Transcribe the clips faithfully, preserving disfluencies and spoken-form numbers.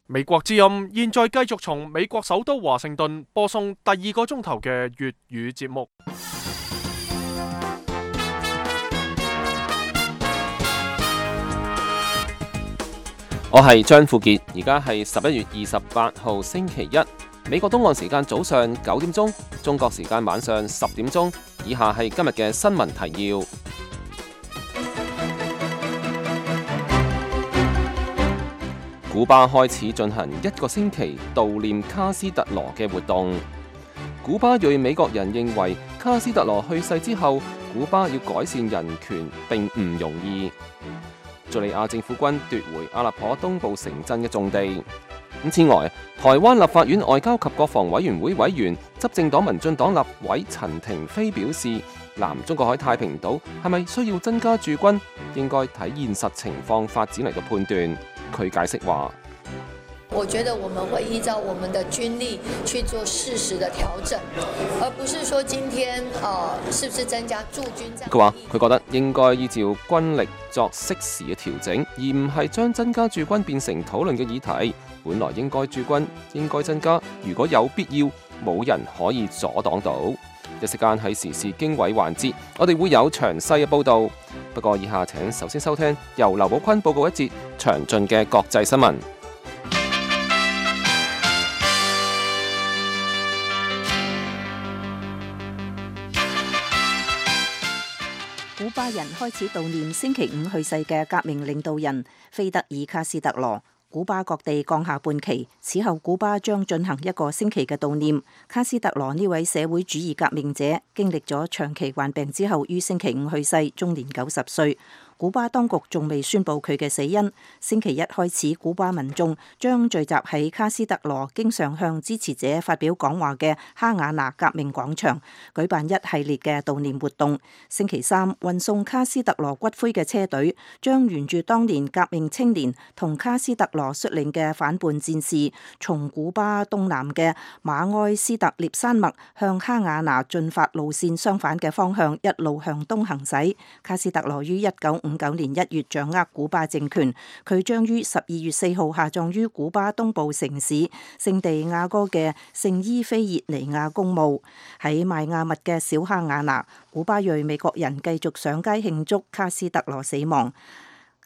美國之音現在繼續從美國首都華盛頓播送第二個鐘頭嘅粵語節目。我係張富傑，而家係十一月二十八號星期一，美國東岸時間早上九點鐘，中國時間晚上十點鐘。以下係今日嘅新聞提要。古巴開始進行一個星期悼念卡斯特羅嘅活動。古巴裔美國人認為卡斯特羅去世之後，古巴要改善人權並唔容易。敘利亞政府軍奪回阿勒頗東部城鎮嘅重地。此外，台灣立法院外交及國防委員會委員、執政黨民進黨立委陳亭妃表示，南中國海太平島係咪需要增加駐軍，應該睇現實情況發展嚟到判斷。佢解釋話：我覺得我們會依照我們的軍力去做適時的調整，而不是說今天呃是不是增加駐軍。佢話佢覺得應該依照軍力作適時嘅調整，而唔係將增加駐軍變成討論嘅議題。本來應該駐軍，應該增加，如果有必要，冇人可以阻擋到。一時間喺時事經緯環節，我哋會有詳細嘅報導。不過以下請首先收聽由劉寶坤報告一節詳盡嘅國際新聞。古巴人開始悼念星期五去世嘅革命領導人菲德爾卡斯特羅。古巴各地降下半旗，此後古巴將進行一個星期嘅悼念。卡斯特羅呢位社會主義革命者，經歷咗長期患病之後，於星期五去世，終年九十歲。古巴當局仲未宣布佢嘅死因。星期一開始，古巴民眾將聚集喺卡斯特羅經常向支持者發表講話嘅哈瓦那革命廣場舉辦一系列嘅悼念活動。星期三，運送卡斯特羅骨灰嘅車隊將沿住當年革命青年同卡斯特羅率領嘅反叛戰士，從古巴東南嘅馬埃斯特列山脈向哈瓦那進發路線相反嘅方向一路向東行駛。卡斯特羅於一九五九年一月掌握古巴政權，佢將於十二月四號下葬於古巴東部城市聖地亞哥嘅聖伊菲熱尼亞公墓。喺邁亞密嘅小哈瓦那，古巴裔美國人繼續上街慶祝卡斯特羅死亡。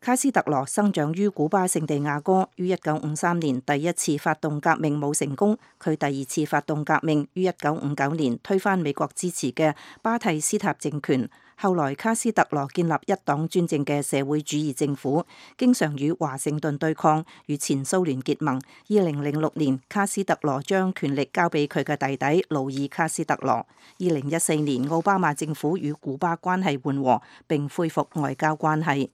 卡斯特羅生長於古巴聖地亞哥，於一九五三年第一次發動革命冇成功，佢第二次發動革命於一九五九年推翻美國支持嘅巴蒂斯塔政權。後來卡斯特羅建立一黨專政嘅社會主義政府，經常與華盛頓對抗，與前蘇聯結盟。二零零六年，卡斯特羅將權力交俾佢嘅弟弟勞爾卡斯特羅。二零一四年，奧巴馬政府與古巴關係緩和，並恢復外交關係。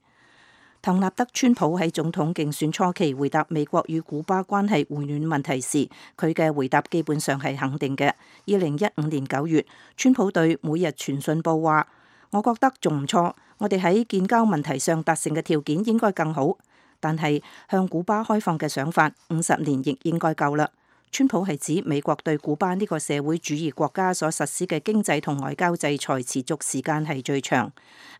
唐納德·川普喺總統競選初期回答美國與古巴關係回暖問題時，佢嘅回答基本上係肯定嘅。二零一五年九月，川普對每日傳訊報話：我覺得仲唔錯，我哋喺建交問題上達成嘅條件應該更好，但係向古巴開放嘅想法五十年亦應該夠啦。川普係指美國對古巴呢個社會主義國家所實施嘅經濟同外交制裁持續時間係最長。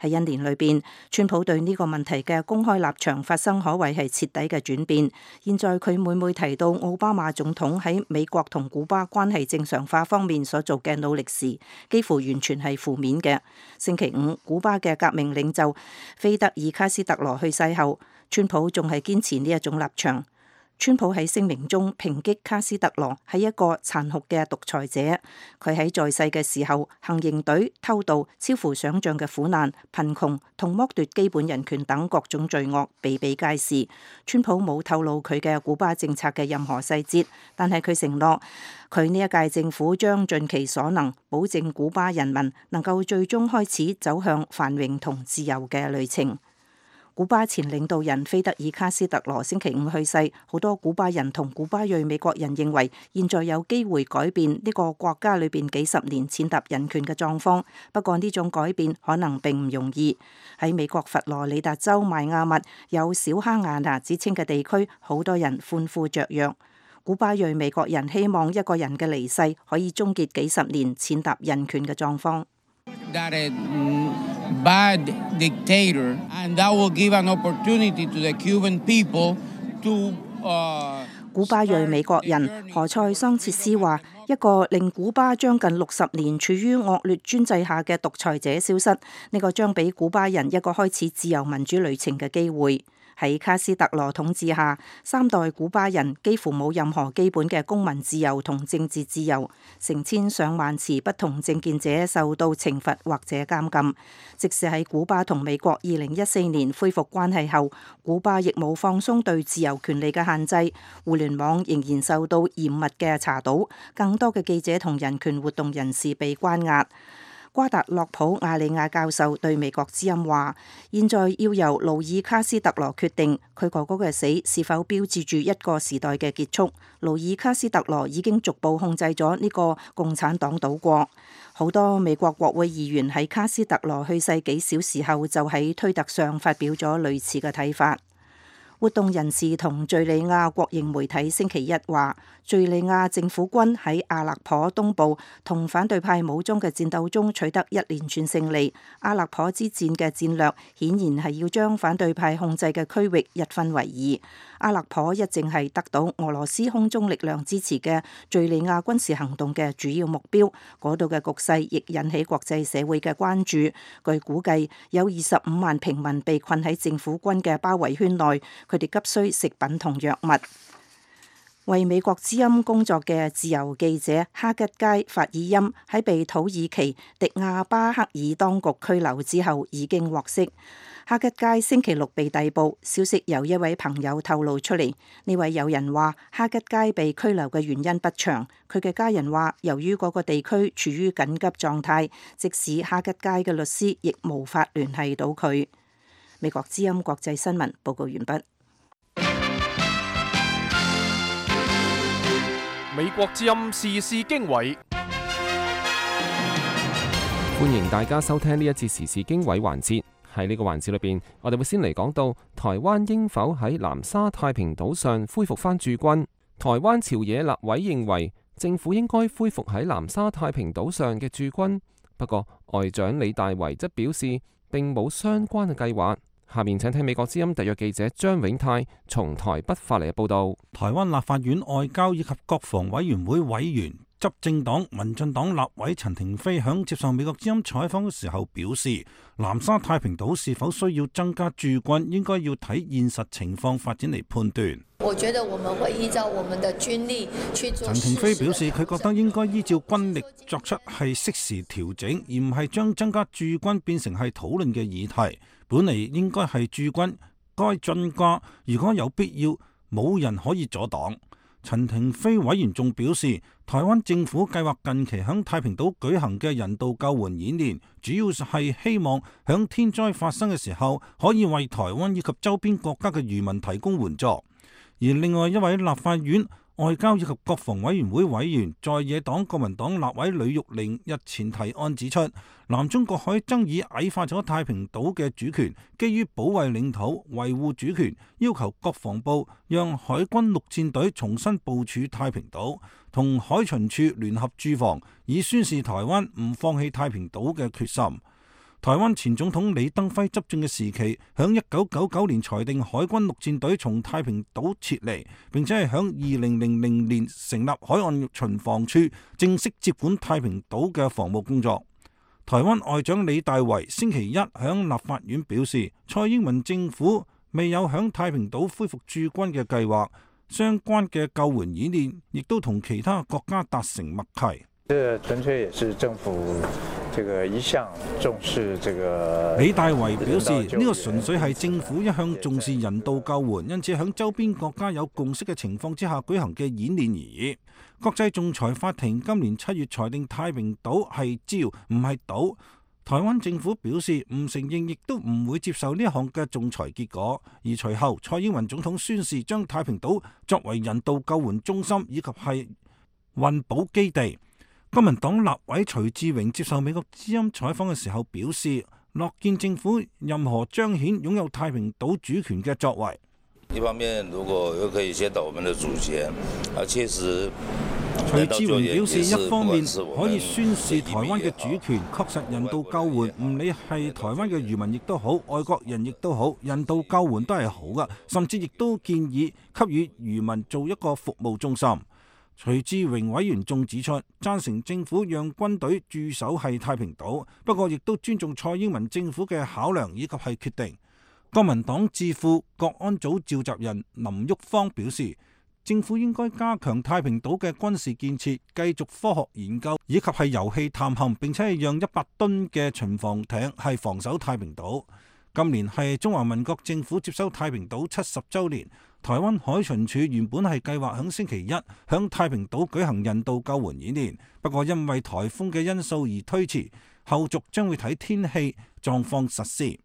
喺一年裏邊，川普對呢個問題嘅公開立場發生可謂係徹底嘅轉變。現在佢每每提到奧巴馬總統喺美國同古巴關係正常化方面所做嘅努力時，幾乎完全係負面嘅。星期五，古巴嘅革命領袖菲德爾卡斯特羅去世後，川普仲係堅持呢一種立場。川普喺聲明中抨擊卡斯特羅係一個殘酷嘅獨裁者，佢喺在，在世嘅時候，行刑隊、偷盜、超乎想象嘅苦難、貧窮同剝奪基本人權等各種罪惡比比皆是。川普冇透露佢嘅古巴政策嘅任何細節，但係佢承諾佢呢一屆政府將盡其所能，保證古巴人民能夠最終開始走向繁榮同自由嘅旅程。古巴前領導人菲德爾卡斯特羅星期五去世，好多古巴人同古巴裔美國人認為，現在有機會改變呢個國家裏邊幾十年踐踏人權嘅狀況。不過呢種改變可能並唔容易。喺美國佛羅里達州邁亞密有小哈瓦那之稱嘅地區，好多人歡呼雀躍。古巴裔美國人希望一個人嘅離世可以終結幾十年踐踏人權嘅狀況。That a bad dictator, and that will give an opportunity to the Cuban people to. Uh 古巴裔美國人何塞桑切斯話：一個令古巴將近六十年處於惡劣專制下嘅獨裁者消失，呢個將俾古巴人一個開始自由民主旅程嘅機會。喺卡斯特羅統治下，三代古巴人幾乎冇任何基本嘅公民自由同政治自由，成千上萬持不同政見者受到懲罰或者監禁。即使喺古巴同美國二零一四年恢復關係後，古巴亦冇放鬆對自由權利嘅限制，互聯網仍然受到嚴密嘅查堵，更多嘅記者同人權活動人士被關押。瓜達洛普亞利亞教授對美國之音話：現在要由勞爾卡斯特羅決定佢哥哥嘅死是否標誌住一個時代嘅結束。勞爾卡斯特羅已經逐步控制咗呢個共產黨島國。好多美國國會議員喺卡斯特羅去世幾小時後就喺推特上發表咗類似嘅睇法。活動人士同敘利亞國營媒體星期一話，敘利亞政府軍喺阿勒頗東部同反對派武裝嘅戰鬥中取得一連串勝利。阿勒頗之戰嘅戰略顯然係要將反對派控制嘅區域一分為二。阿勒頗一直係得到俄羅斯空中力量支持嘅敘利亞軍事行動嘅主要目標，嗰度嘅局勢亦引起國際社會嘅關注。據估計，有二十五萬平民被困喺政府軍嘅包圍圈內。佢哋急需食品同藥物。為美國之音工作嘅自由記者哈吉街法爾欽喺被土耳其迪亞巴克爾當局拘留之後已經獲釋。哈吉街星期六被逮捕，消息由一位朋友透露出嚟。呢位友人話，哈吉街被拘留嘅原因不詳。佢嘅家人話，由於嗰個地區處於緊急狀態，即使哈吉街嘅律師亦無法聯繫到佢。美國之音國際新聞報告完畢。美國之音時事經緯，歡迎大家收聽呢一節時事經緯環節。喺呢個環節裏邊，我哋會先嚟講到台灣應否喺南沙太平島上恢復翻駐軍。台灣朝野立委認為政府應該恢復喺南沙太平島上嘅駐軍，不過外長李大維則表示並冇相關嘅計劃。下面請聽美國之音特約記者張永泰從台北發嚟嘅報道。台灣立法院外交以及國防委員會委員、執政黨民進黨立委陳亭妃響接受美國之音採訪嘅時候表示，南沙太平島是否需要增加駐軍，應該要睇現實情況發展嚟判斷。我覺得我們會依照我們的軍力去做。陳亭妃表示，佢覺得應該依照軍力作出係適時調整，而唔係將增加駐軍變成係討論嘅議題。本嚟應該係駐軍該增加，如果有必要，冇人可以阻擋。陳亭妃委員仲表示，台灣政府計劃近期響太平島舉行嘅人道救援演練，主要係希望響天災發生嘅時候，可以為台灣以及周邊國家嘅漁民提供援助。而另外一位立法院外交以及國防委員會委員，在野黨國民黨立委呂玉玲日前提案指出，南中國海爭議矮化咗太平島嘅主權，基於保衛領土、維護主權，要求國防部讓海軍陸戰隊重新部署太平島，同海巡署聯合駐防，以宣示台灣唔放棄太平島嘅決心。台灣前總統李登輝執政嘅時期，響一九九九年裁定海軍陸戰隊從太平島撤離，並且係響二零零零年成立海岸巡防處，正式接管太平島嘅防務工作。台灣外長李大維星期一響立法院表示，蔡英文政府未有響太平島恢復駐軍嘅計劃，相關嘅救援演練亦都同其他國家達成默契。這純粹也是政府這個一向重視這個。李大維表示，呢個純粹係政府一向重視人道救援，因此響周邊國家有共識嘅情況之下舉行嘅演練而已。國際仲裁法庭今年七月裁定太平島係礁唔係島，台灣政府表示唔承認，亦都唔會接受呢一項嘅仲裁結果。而隨後蔡英文總統宣示將太平島作為人道救援中心以及係運補基地。國民黨立委徐志榮接受美國之音採訪嘅時候表示，樂見政府任何彰顯擁有太平島主權嘅作為。一方面，如果又可以先到我們的主權，啊，確實徐志榮表示，一方面可以宣示台灣嘅主權，確實人道救援，唔理係台灣嘅漁民亦都好，外國人亦都好，人道救援都係好㗎，甚至亦都建議給予漁民做一個服務中心。徐志榮委員仲指出，贊成政府讓軍隊駐守係太平島，不過亦都尊重蔡英文政府嘅考量以及係決定。國民黨智庫國安組召集人林旭芳表示，政府應該加強太平島嘅軍事建設，繼續科學研究，以及係油氣探勘，並且係讓一百噸嘅巡防艇係防守太平島。今年係中華民國政府接收太平島七十週年，台灣海巡署原本係計劃響星期一響太平島舉行人道救援演練，不過因為颱風嘅因素而推遲，後續將會睇天氣狀況實施。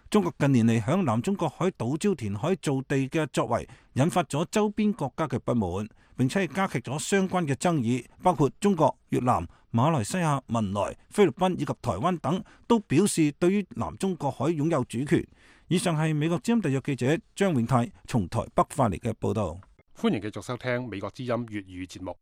中國近年嚟響南中國海島礁填海造地嘅作為，引發咗周邊國家嘅不滿，並且係加劇咗相關嘅爭議，包括中國、越南、馬來西亞、文萊、菲律賓以及台灣等，都表示對於南中國海擁有主權。以上係美國之音特約記者張永泰從台北發嚟嘅報道。歡迎繼續收聽美國之音粵語節目。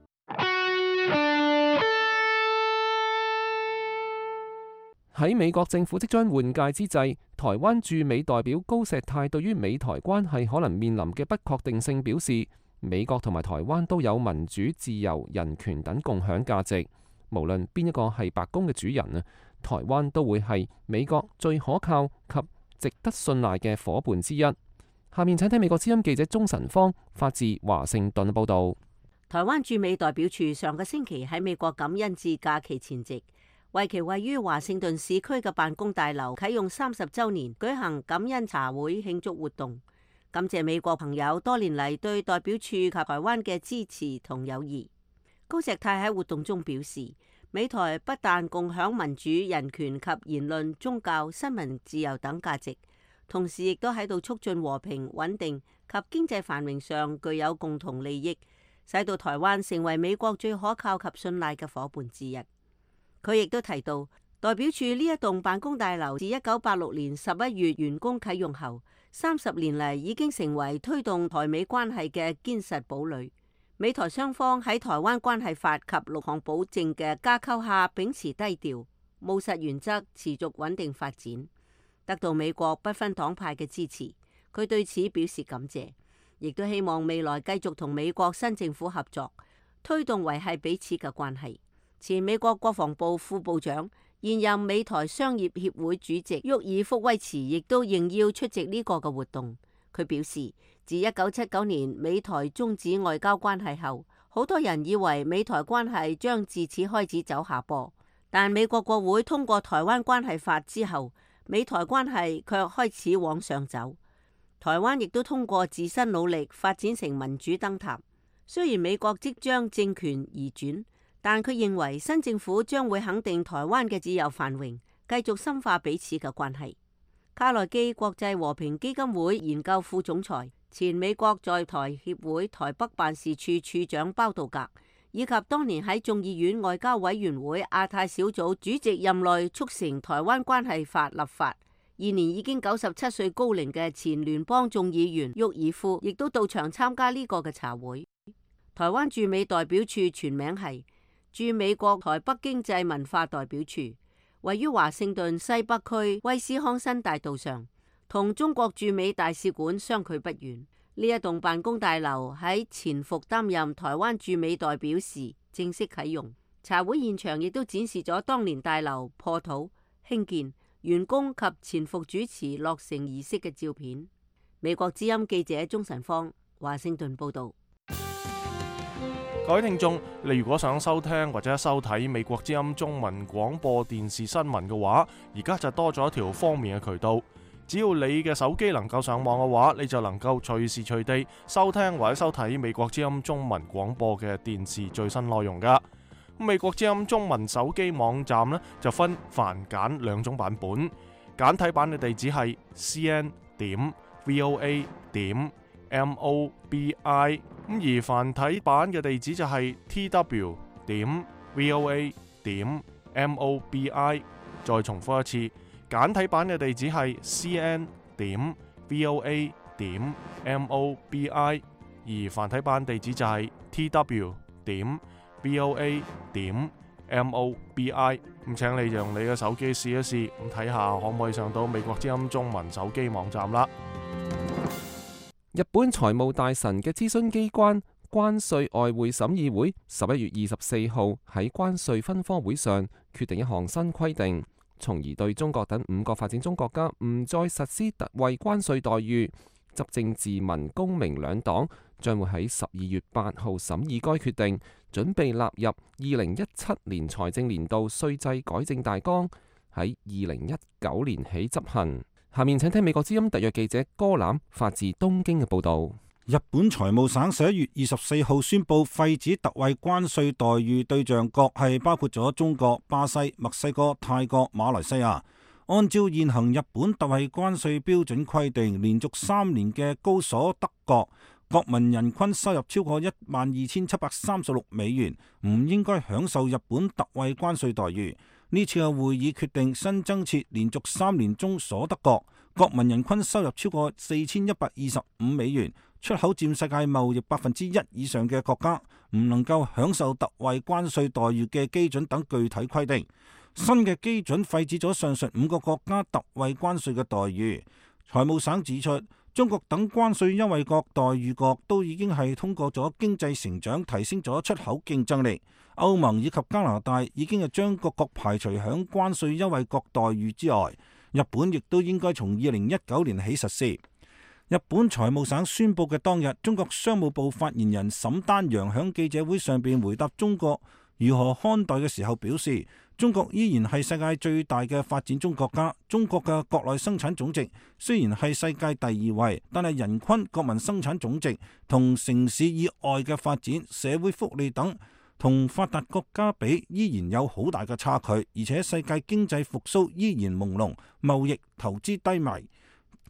喺美國政府即將換屆之際，台灣駐美代表高石泰對於美台關係可能面臨嘅不確定性表示，美國同埋台灣都有民主、自由、人權等共享價值，無論邊一個係白宮嘅主人啊，台灣都會係美國最可靠及值得信賴嘅夥伴之一。下面請睇美國之音記者鍾晨芳發自華盛頓報道。台灣駐美代表處上個星期喺美國感恩節假期前夕，為其位於華盛頓市區嘅辦公大樓啟用三十週年，舉行感恩茶會慶祝活動，感謝美國朋友多年嚟對代表處及台灣嘅支持同友誼。高石泰喺活動中表示，美台不但共享民主、人權及言論、宗教、新聞自由等價值，同時亦都喺度促進和平、穩定及經濟繁榮上具有共同利益，使到台灣成為美國最可靠及信賴嘅夥伴之一。佢亦都提到，代表處呢一棟辦公大樓自一九八六年十一月完工啟用後，三十年嚟已經成為推動台美關係嘅堅實堡壘。美台雙方喺台灣關係法及六項保證嘅架構下，秉持低調、務實原則，持續穩定發展，得到美國不分黨派嘅支持。佢對此表示感謝，亦都希望未來繼續同美國新政府合作，推動維繫彼此嘅關係。前美國國防部副部長、現任美台商業協會主席沃爾福威茨亦都應邀出席呢個嘅活動。佢表示，自一九七九年美台終止外交關係後，好多人以為美台關係將自此開始走下坡，但美國國會通過台灣關係法之後，美台關係卻開始往上走。台灣亦都通過自身努力發展成民主燈塔。雖然美國即將政權移轉，但佢認為新政府將會肯定台灣嘅自由繁榮，繼續深化彼此嘅關係。卡內基國際和平基金會研究副總裁、前美國在台協會台北辦事處處長包道格，以及當年喺眾議院外交委員會亞太小組主席任內促成台灣關係法立法，現年已經九十七歲高齡嘅前聯邦眾議員沃爾夫，亦都到場參加呢個嘅茶會。台灣駐美代表處全名係駐美國台北經濟文化代表處，位於華盛頓西北區威斯康辛大道上，同中國駐美大使館相距不遠。呢一棟辦公大樓喺前復擔任台灣駐美代表時正式啟用。茶會現場亦都展示咗當年大樓破土、興建、完工及前復主持落成儀式嘅照片。美國之音記者鍾晨芳，華盛頓報道。各位聽眾，你如果想收聽或者收睇美國之音中文廣播電視新聞嘅話，而家就多咗一條方便嘅渠道。只要你嘅手機能夠上網嘅話，你就能夠隨時隨地收聽或者收睇美國之音中文廣播嘅電視最新內容噶。美國之音中文手機網站呢，就分繁簡兩種版本，簡體版嘅地址係 c n 點 v o a 點 m o b i。咁而繁體版嘅地址就係 t w 點 v o a 點 m o b i。再重複一次，簡體版嘅地址係 c n 點 v o a 點 m o b i。而繁體版地址就係 t w 點 B O A 點 M O B I。咁請你用你嘅手機試一試，咁睇下可唔可以上到美國之音中文手機網站啦。日本財務大臣嘅諮詢機關關稅外匯審議會十一月二十四號喺關稅分科會上決定一項新規定，從而對中國等五個發展中國家唔再實施特惠關稅待遇。執政自民公明兩黨將會喺十二月八號審議該決定，準備納入二零一七年財政年度稅制改正大綱，喺二零一九年起執行。下面請聽美國之音特約記者戈欖發自東京嘅報導。日本財務省十一月二十四號宣布廢止特惠關稅待遇對象國係包括咗中國、巴西、墨西哥、泰國、馬來西亞。按照現行日本特惠關稅標準規定，連續三年嘅高所得國國民人均收入超過一萬二千七百三十六美元，唔應該享受日本特惠關稅待遇。呢次嘅會議決定新增設連續三年中所得國國民人均收入超過四千一百二十五美元，出口佔世界貿易百分之一以上嘅國家唔能夠享受特惠關稅待遇嘅基準等具體規定。新嘅基準廢止咗上述五個國家特惠關稅嘅待遇。財務省指出，中國等關稅優惠國待遇國都已經係通過咗經濟成長提升咗出口競爭力。歐盟以及加拿大已經係將各國排除響關稅優惠國待遇之外。日本亦都應該從二零一九年起實施。日本財務省宣布嘅當日，中國商務部發言人沈丹陽響記者會上邊回答中國如何看待嘅時候表示，中國依然係世界最大嘅發展中國家。中國嘅國內生產總值雖然係世界第二位，但係人均國民生產總值同城市以外嘅發展、社會福利等同發達國家比依然有好大嘅差距，而且世界經濟復甦依然朦朧，貿易投資低迷。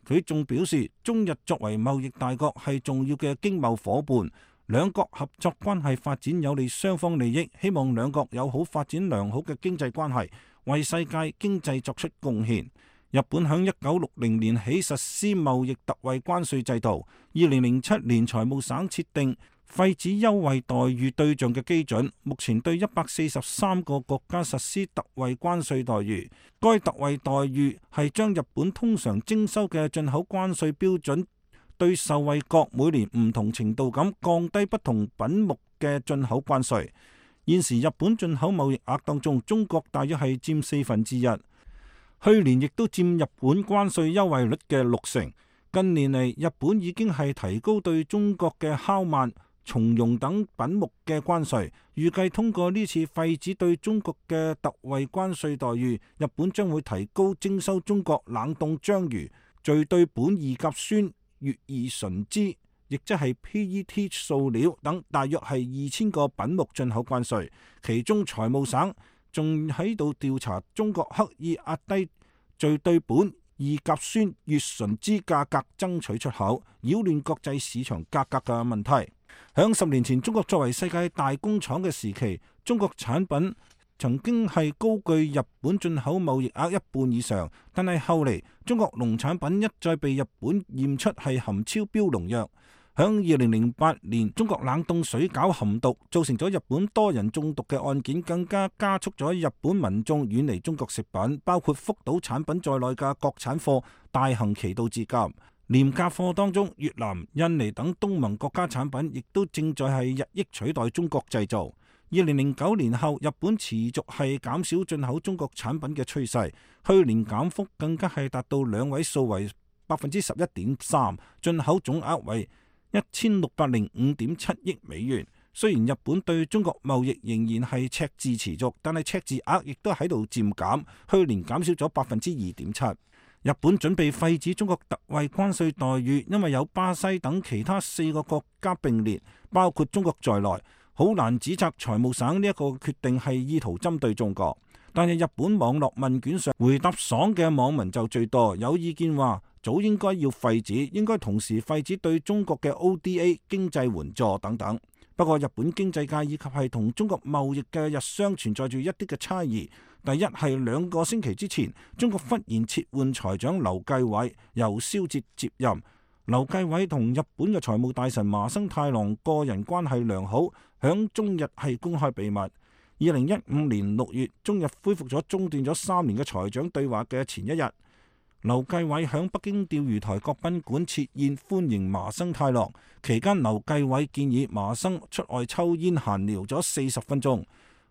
佢仲表示，中日作為貿易大國係重要嘅經貿夥伴。兩國合作關係發展有利雙方利益，希望兩國有好發展良好嘅經濟關係，為世界經濟作出貢獻。日本響一九六零年起實施貿易特惠關稅制度，二零零七年財務省設定廢止優惠待遇對象嘅基準，目前對一百四十三個國家實施特惠關稅待遇。該特惠待遇係將日本通常徵收嘅進口關稅標準對受惠國每年唔同程度咁降低不同品目嘅進口關稅。現時日本進口貿易額當中，中國大約係佔四分之一，去年亦都佔日本關稅優惠率嘅六成。近年嚟，日本已經係提高對中國嘅烤鰻、松茸等品目嘅關稅。預計通過呢次廢止對中國嘅特惠關稅待遇，日本將會提高徵收中國冷凍章魚、聚對苯二甲酸、乙二醇酯，亦即係 P E T 塑料等大約係二千個品目進口關稅。其中財務省仲喺度調查中國刻意壓低聚對苯二甲酸乙醇酯價格，爭取出口，擾亂國際市場價格嘅問題。響十年前，中國作為世界大工廠嘅時期，中國產品曾經係高居日本進口貿易額一半以上，但係後嚟中國農產品一再被日本驗出係含超標農藥。響二零零八年，中國冷凍水餃含毒，造成咗日本多人中毒嘅案件，更加加速咗日本民眾遠離中國食品，包括福島產品在內嘅國產貨大行其道至今。廉價貨當中，越南、印尼等東盟國家產品亦都正在係日益取代中國製造。二零零九年後，日本持續係減少進口中國產品嘅趨勢，去年減幅更加係達到兩位數為百分之十一點三，進口總額為一千六百零五點七億美元。雖然日本對中國貿易仍然係赤字持續，但係赤字額亦都喺度漸減，去年減少咗百分之二點七。日本準備廢止中國特惠關稅待遇，因為有巴西等其他四個國家並列，包括中國在內，好難指責財務省呢一個決定係意圖針對中國。但係日本網絡問卷上回答爽嘅網民就最多，有意見話早應該要廢止，應該同時廢止對中國嘅 O D A 經濟援助等等。不過日本經濟界以及係同中國貿易嘅日商存在住一啲嘅差異。第一係兩個星期之前，中國忽然撤換財長劉繼偉，由蕭哲接任。劉繼偉同日本嘅財務大臣麻生太郎個人關係良好，響中日係公開秘密。二零一五年六月，中日恢復咗中斷咗三年嘅財長對話嘅前一日，劉繼偉響北京釣魚台國賓館設宴歡迎麻生太郎。期間，劉繼偉建議麻生出外抽煙閒聊咗四十分鐘，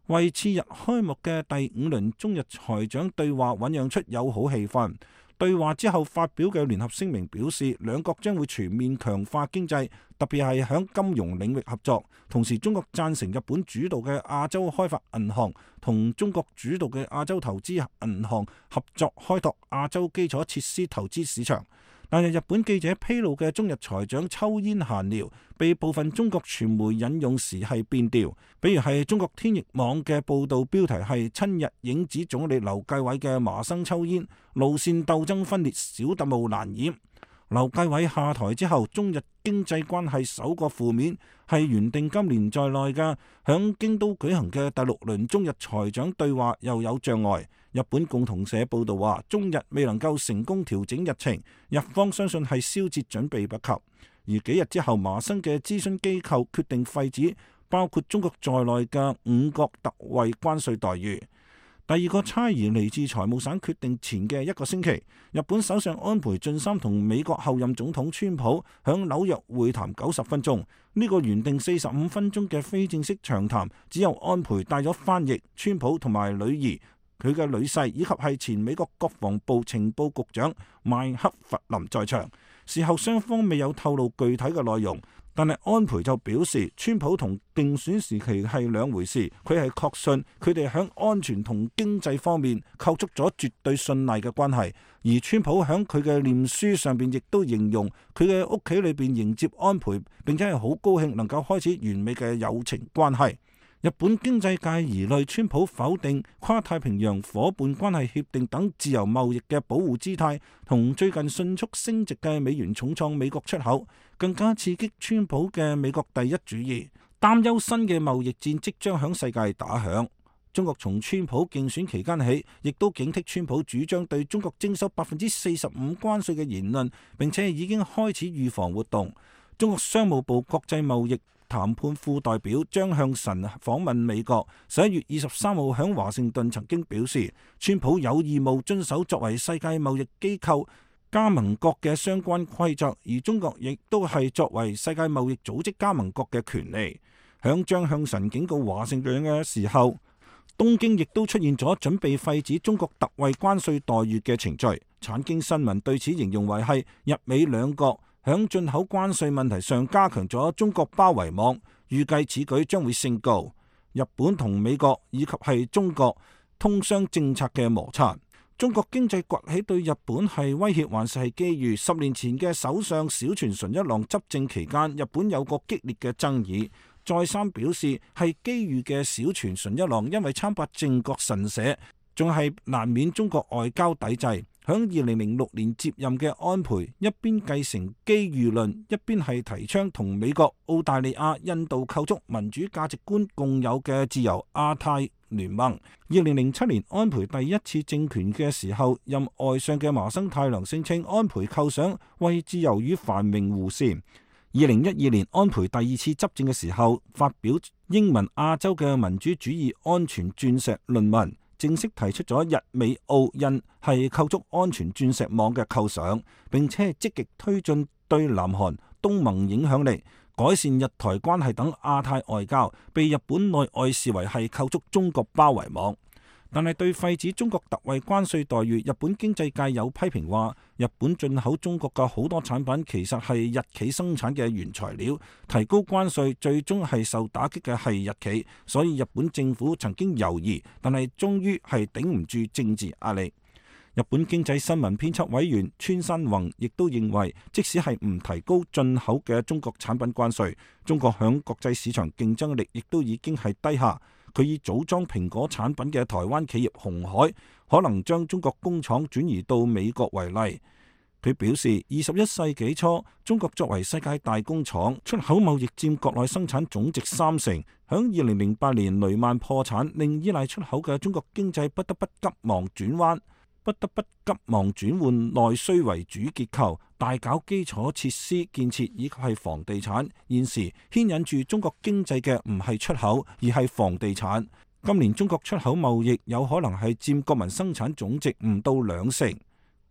為次日開幕嘅第五輪中日財長對話醞釀出友好氣氛。對話之後發表嘅聯合聲明表示，兩國將會全面強化經濟，特別係響金融領域合作。同時，中國贊成日本主導嘅亞洲開發銀行同中國主導嘅亞洲投資銀行合作，開拓亞洲基礎設施投資市場。但係日本記者披露嘅中日財長抽煙閒聊，被部分中國傳媒引用時係變調，比如係中國天翼網嘅報導標題係親日影子總理劉繼偉嘅麻生抽煙，路線鬥爭分裂，小特務難掩。劉繼偉下台之後，中日經濟關係首個負面，係原定今年在內嘅響京都舉行嘅第六輪中日財長對話又有障礙。日本共同社報道話，中日未能夠成功調整日程，日方相信係燒節準備不及。而幾日之後，麻生嘅諮詢機構決定廢止包括中國在內嘅五國特惠關稅待遇。第二個差異嚟自財務省決定前嘅一個星期，日本首相安倍晉三同美國後任總統川普響紐約會談九十分鐘。呢個原定四十五分鐘嘅非正式長談，只有安倍帶咗翻譯、川普同埋女兒、佢嘅女婿以及係前美國國防部情報局長麥克弗林在場。事後雙方未有透露具體嘅內容。但係安倍就表示，川普同競選時期係兩回事，佢係確信佢哋喺安全同經濟方面構築咗絕對信賴嘅關係。而川普喺佢嘅臉書上邊亦都形容佢嘅屋企裏邊迎接安倍，並且係好高興能夠開始完美嘅友情關係。日本經濟界疑慮川普否定跨太平洋夥伴關係協定等自由貿易嘅保護姿態，同最近迅速升值嘅美元重創美國出口，更加刺激川普嘅美國第一主義，擔憂新嘅貿易戰即將響世界打響。中國從川普競選期間起，亦都警惕川普主張對中國徵收百分之四十五關稅嘅言論，並且已經開始預防活動。中國商務部國際貿易談判副代表張向晨訪問美國，十一月二十三號喺華盛頓曾經表示，川普有義務遵守作為世界貿易機構加盟國嘅相關規則，而中國亦都係作為世界貿易組織加盟國嘅權利。響張向晨警告華盛頓嘅時候，東京亦都出現咗準備廢止中國特惠關稅待遇嘅程序。產經新聞對此形容為係日美兩國響進口關稅問題上加強咗中國包圍網，預計此舉將會升高日本同美國以及係中國通商政策嘅摩擦。中國經濟崛起對日本係威脅還是係機遇？十年前嘅首相小泉純一郎執政期間，日本有個激烈嘅爭議，再三表示係機遇嘅小泉純一郎因為參拜靖國神社，仲係難免中國外交抵制。響二零零六年接任嘅安倍，一邊繼承機遇論，一邊係提倡同美國、澳大利亞、印度構築民主價值觀共有嘅自由亞太聯盟。二零零七年安倍第一次政權嘅時候，任外相嘅麻生太郎聲稱安倍構想為自由與繁榮護扇。二零一二年安倍第二次執政嘅時候，發表英文亞洲嘅民主主義安全鑽石論文，正式提出咗日美澳印係構築安全鑽石網嘅構想，並且積極推進對南韓、東盟影響力、改善日台關係等亞太外交，被日本內外視為係構築中國包圍網。但係對廢止中國特惠關稅待遇，日本經濟界有批評話，日本進口中國嘅好多產品其實係日企生產嘅原材料，提高關稅最終係受打擊嘅係日企，所以日本政府曾經猶豫，但係終於係頂唔住政治壓力。日本經濟新聞編輯委員川山宏亦都認為，即使係唔提高進口嘅中國產品關稅，中國響國際市場競爭力亦都已經係低下。佢以組裝蘋果產品嘅台灣企業鴻海可能將中國工廠轉移到美國為例。佢表示，二十一世紀初，中國作為世界大工廠，出口貿易佔國內生產總值三成。響二零零八年雷曼破產，令依賴出口嘅中國經濟不得不急忙轉彎。不得不急忙轉換內需為主結構，大搞基礎設施建設以及係房地產。現時牽引住中國經濟嘅唔係出口，而係房地產。今年中國出口貿易有可能係佔國民生產總值唔到兩成。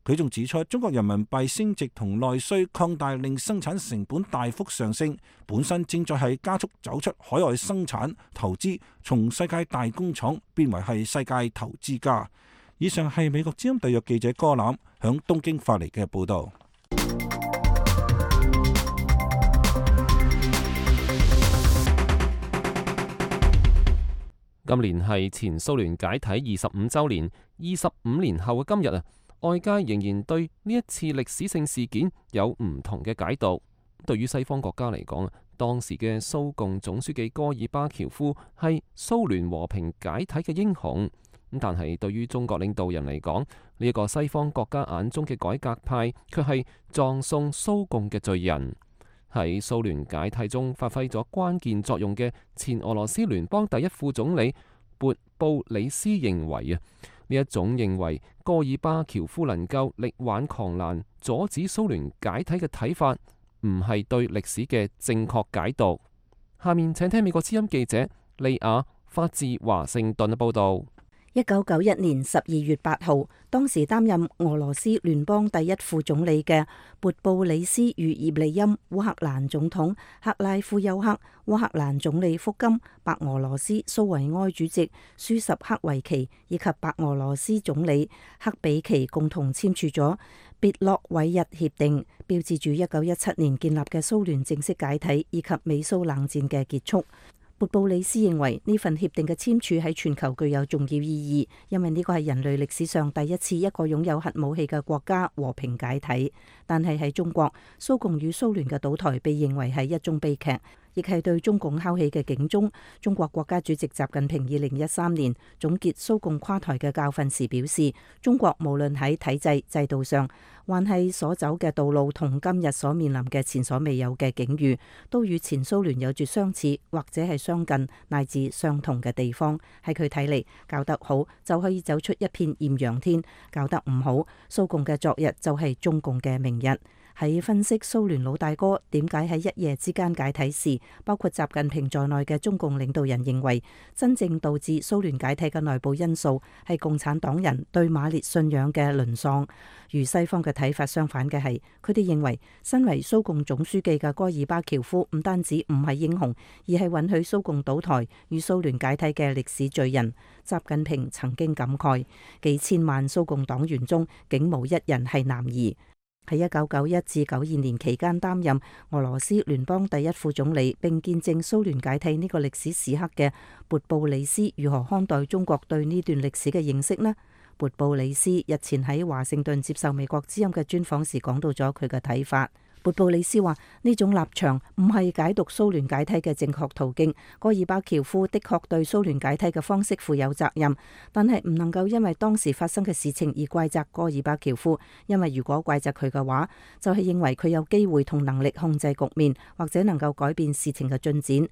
佢仲指出，中國人民幣升值同內需擴大令生產成本大幅上升，本身正在係加速走出海外生產投資，從世界大工廠變為係世界投資家。以上係美國之音特約記者柯欖響東京發嚟嘅報導。今年係前蘇聯解體二十五週年，二十五年後嘅今日啊，外界仍然對呢一次歷史性事件有唔同嘅解讀。對於西方國家嚟講啊，當時嘅蘇共總書記戈爾巴喬夫係蘇聯和平解體嘅英雄。咁但係對於中國領導人嚟講，呢一個西方國家眼中嘅改革派，卻係葬送蘇共嘅罪人。喺蘇聯解體中發揮咗關鍵作用嘅前俄羅斯聯邦第一副總理勃布里斯認為啊，呢一種認為戈爾巴喬夫能夠力挽狂瀾，阻止蘇聯解體嘅睇法，唔係對歷史嘅正確解讀。下面請聽美國之音記者利亞發自華盛頓嘅報道。一九九一年十二月八號，當時擔任俄羅斯聯邦第一副總理嘅勃布里斯與葉利欽、烏克蘭總統克拉夫丘克、烏克蘭總理福金、白俄羅斯蘇維埃主席舒什克維奇以及白俄羅斯總理克比奇共同簽署咗別洛韋日協定，標誌住一九一七年建立嘅蘇聯正式解體以及美蘇冷戰嘅結束。勃布里斯認為呢份協定嘅簽署喺全球具有重要意義，因為呢個係人類歷史上第一次一個擁有核武器嘅國家和平解體。但係喺中國，蘇共與蘇聯嘅倒台被認為係一宗悲劇，亦係對中共敲起嘅警鐘。中國國家主席習近平二零一三年總結蘇共垮台嘅教訓時表示，中國無論喺體制制度上，還係所走嘅道路同今日所面臨嘅前所未有嘅境遇，都與前蘇聯有住相似或者係相近乃至相同嘅地方。喺佢睇嚟，搞得好就可以走出一片豔陽天，搞得唔好，蘇共嘅昨日就係中共嘅明日。喺分析蘇聯老大哥點解喺一夜之間解體時，包括習近平在內嘅中共領導人認為，真正導致蘇聯解體嘅內部因素係共產黨人對馬列信仰嘅淪喪。與西方嘅睇法相反嘅係，佢哋認為身為蘇共總書記嘅戈爾巴喬夫唔單止唔係英雄，而係允許蘇共倒台與蘇聯解體嘅歷史罪人。習近平曾經感慨，幾千萬蘇共黨員中竟無一人係男兒。喺一九九一至九二年期間擔任俄羅斯聯邦第一副總理並見證蘇聯解體呢個歷史時刻嘅勃布里斯如何看待中國對呢段歷史嘅認識呢？勃布里斯日前喺華盛頓接受美國之音嘅專訪時講到咗佢嘅睇法。勃布里斯話：呢種立場唔係解讀蘇聯解體嘅正確途徑。戈爾巴喬夫的確對蘇聯解體嘅方式負有責任，但係唔能夠因為當時發生嘅事情而怪責戈爾巴喬夫，因為如果怪責佢嘅話，就係認為佢有機會同能力控制局面，或者能夠改變事情嘅進展。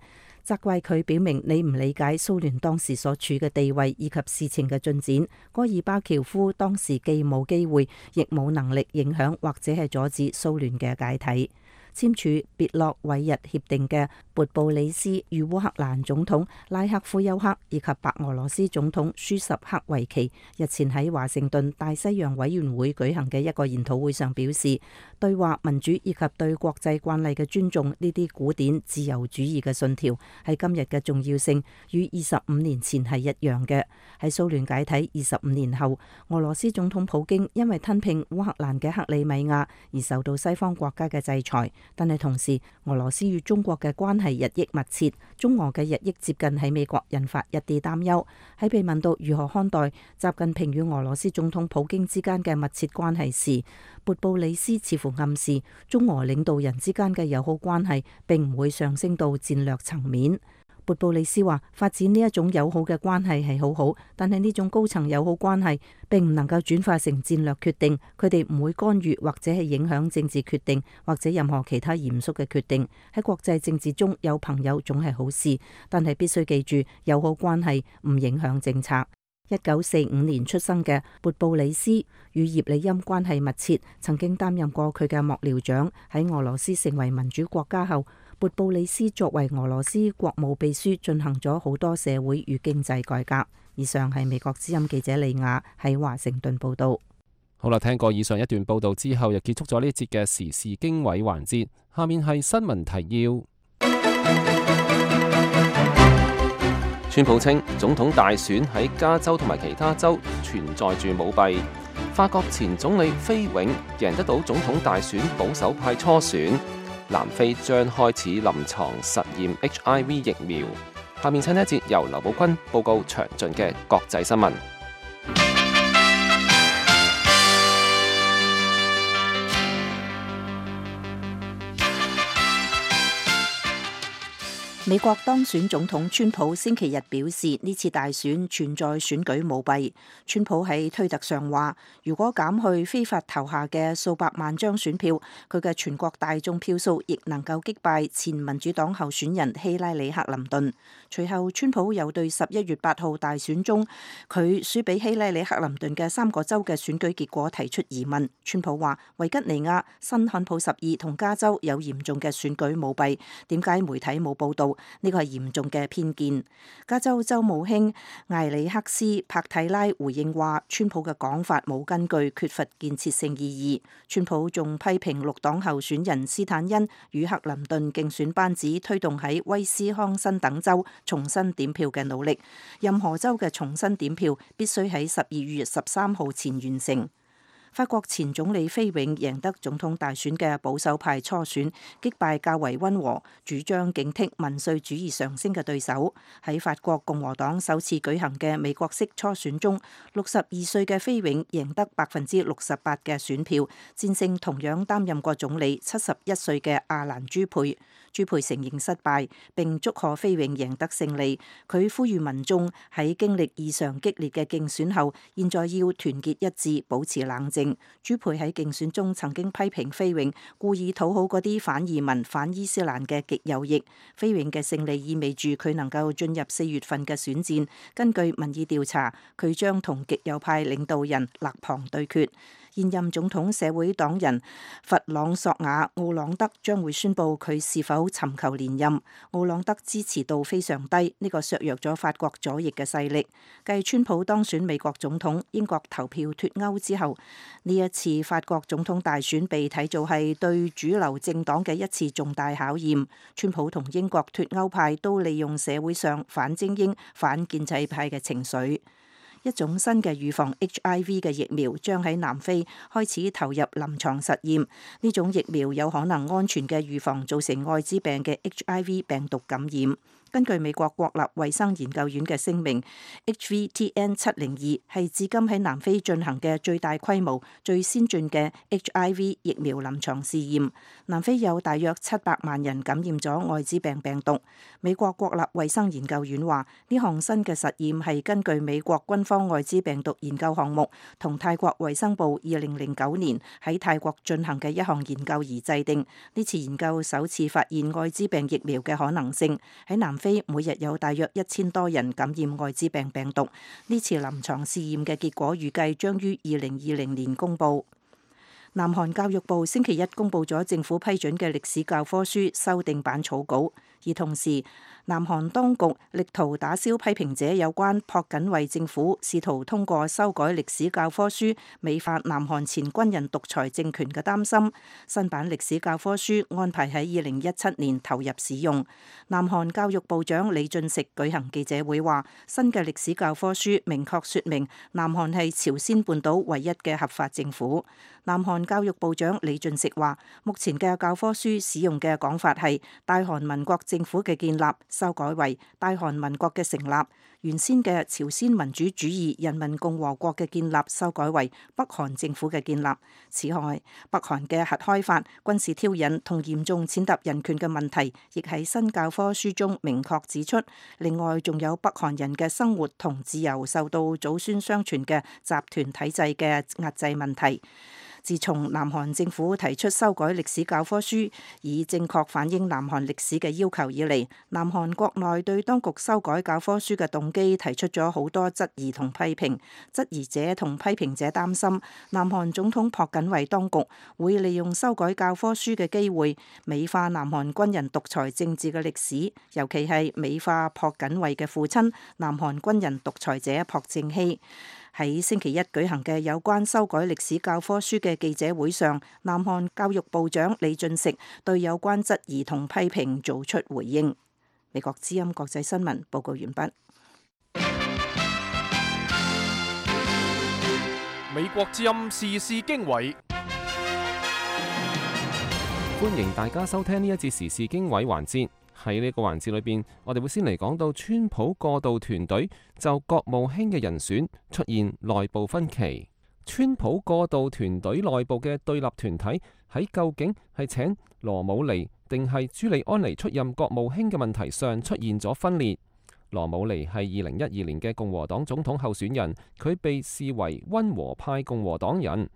責怪佢表明你唔理解蘇聯當時所處嘅地位以及事情嘅進展。戈爾巴喬夫當時既冇機會，亦冇能力影響或者係阻止蘇聯嘅解體。簽署別洛韋日協定嘅勃布里斯與烏克蘭總統拉克夫丘克以及白俄羅斯總統舒什克維奇日前喺華盛頓大西洋委員會舉行嘅一個研討會上表示，對話民主以及對國際慣例嘅尊重呢啲古典自由主義嘅信條喺今日嘅重要性與二十五年前係一樣嘅。喺蘇聯解體二十五年後，俄羅斯總統普京因為吞併烏克蘭嘅克里米亞而受到西方國家嘅制裁。但係同時，俄羅斯與中國嘅關係日益密切，中俄嘅日益接近喺美國引發一啲擔憂。喺被問到如何看待習近平與俄羅斯總統普京之間嘅密切關係時，勃布里斯似乎暗示中俄領導人之間嘅友好關係並唔會上升到戰略層面。勃布里斯話：發展呢一種友好嘅關係係好好，但係呢種高層友好關係並唔能夠轉化成戰略決定。佢哋唔會干預或者係影響政治決定或者任何其他嚴肅嘅決定。喺國際政治中有朋友總係好事，但係必須記住友好關係唔影響政策。一九四五年出生嘅勃布里斯與葉利欽關係密切，曾經擔任過佢嘅幕僚長。喺俄羅斯成為民主國家後，勃布里斯作為俄羅斯國務秘書，進行咗好多社會與經濟改革。以上係美國之音記者李雅喺華盛頓報道。好啦，聽過以上一段報道之後，又結束咗呢一節嘅時事經緯環節。下面係新聞提要。川普稱總統大選喺加州同埋其他州存在住舞弊。法國前總理菲永贏得到總統大選保守派初選。南非將開始臨床實驗 H I V 疫苗。下面請呢一節由劉寶坤報告詳盡嘅國際新聞。美國當選總統川普星期日表示，呢次大選存在選舉舞弊。川普喺推特上話，如果減去非法投下嘅數百萬張選票，佢嘅全國大眾票數亦能夠擊敗前民主黨候選人希拉里克林頓。隨後，川普又對十一月八號大選中佢輸俾希拉里克林頓嘅三個州嘅選舉結果提出疑問。川普話，維吉尼亞、新罕布什爾同加州有嚴重嘅選舉舞弊，點解媒體冇報導？呢個係嚴重嘅偏見。加州州務卿艾里克斯帕蒂拉回應話，川普嘅講法冇根據，缺乏建設性意義。川普仲批評綠黨候選人斯坦恩與克林頓競選班子推動喺威斯康辛等州重新點票嘅努力。任何州嘅重新點票必須喺十二月十三號前完成。法國前總理菲永贏得總統大選嘅保守派初選，擊敗較為溫和、主張警惕民粹主義上升嘅對手。喺法國共和黨首次舉行嘅美國式初選中，六十二歲嘅菲永贏得百分之六十八嘅選票，戰勝同樣擔任過總理七十一歲嘅阿蘭朱佩。朱佩承認失敗，並祝賀菲永贏得勝利。佢呼籲民眾喺經歷異常激烈嘅競選後，現在要團結一致，保持冷靜。朱佩喺競選中曾經批評菲永故意討好嗰啲反移民、反伊斯蘭嘅極右翼。菲永嘅勝利意味住佢能夠進入四月份嘅選戰。根據民意調查，佢將同極右派領導人勒龐對決。現任總統社會黨人弗朗索瓦奧朗德將會宣布佢是否尋求連任。奧朗德支持度非常低，呢個削弱咗法國左翼嘅勢力。繼川普當選美國總統、英國投票脫歐之後，呢一次法國總統大選被睇做係對主流政黨嘅一次重大考驗。川普同英國脫歐派都利用社會上反精英、反建制派嘅情緒。一種新嘅預防 H I V 嘅疫苗將喺南非開始投入臨床實驗。呢種疫苗有可能安全嘅預防造成愛滋病嘅 H I V 病毒感染。根據美國國立衛生研究院嘅聲明 ，H V T N 七零二係至今喺南非進行嘅最大規模、最先進嘅 H I V 疫苗臨床試驗。南非有大約七百萬人感染咗愛滋病病毒。美國國立衛生研究院話，呢項新嘅實驗係根據美國軍方愛滋病毒研究項目同泰國衛生部二零零九年喺泰國進行嘅一項研究而制定。呢次研究首次發現愛滋病疫苗嘅可能性。喺南非每日有大約一千多人感染愛滋病病毒。呢次臨床試驗嘅結果預計將於二零二零年公佈。南韓教育部星期一公佈咗政府批准嘅歷史教科書修訂版草稿，而同時南韓當局力圖打消批評者有關朴槿惠政府試圖通過修改歷史教科書美化南韓前軍人獨裁政權嘅擔心。新版歷史教科書安排喺二零一七年投入使用。南韓教育部長李俊錫舉行記者會話，新嘅歷史教科書明確說明南韓係朝鮮半島唯一嘅合法政府。南韓教育部長李俊錫話，目前嘅教科書使用嘅講法係大韓民國政府嘅建立，修改為大韓民國嘅成立。原先嘅朝鮮民主主義人民共和國嘅建立，修改為北韓政府嘅建立。此外，北韓嘅核開發、軍事挑釁同嚴重踐踏人權嘅問題，亦喺新教科書中明確指出。另外，仲有北韓人嘅生活同自由受到祖孫相傳嘅集團體制嘅壓制問題。自從南韓政府提出修改歷史教科書，以正確反映南韓歷史嘅要求以嚟，南韓國內對當局修改教科書嘅動機提出咗好多質疑同批評。質疑者同批評者擔心，南韓總統朴槿惠當局會利用修改教科書嘅機會，美化南韓軍人獨裁政治嘅歷史，尤其係美化朴槿惠嘅父親南韓軍人獨裁者朴正熙。喺星期一舉行嘅有關修改歷史教科書嘅記者會上，南韓教育部長李俊錫對有關質疑同批評做出回應。美國之音國際新聞報告完畢。美國之音時事經緯，歡迎大家收聽呢一節時事經緯環節。喺呢個環節裏邊，我哋會先嚟講到川普過渡團隊就國務卿嘅人選出現內部分歧。川普過渡團隊內部嘅對立團體喺究竟係請羅姆尼定係朱利安尼出任國務卿嘅問題上出現咗分裂。羅姆尼係二零一二年嘅共和黨總統候選人，佢被視為溫和派共和黨人。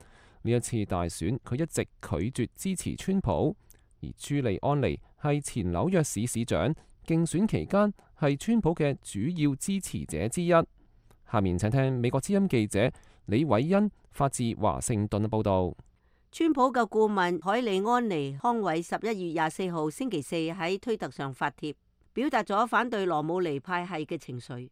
呢一次大選，佢一直拒絕支持川普。而朱利安尼係前紐約市市長，競選期間係川普嘅主要支持者之一。下面請聽美國之音記者李偉恩發自華盛頓嘅報道。川普嘅顧問海利安尼康偉十一月廿四號星期四喺推特上發帖，表達咗反對羅姆尼派系嘅情緒。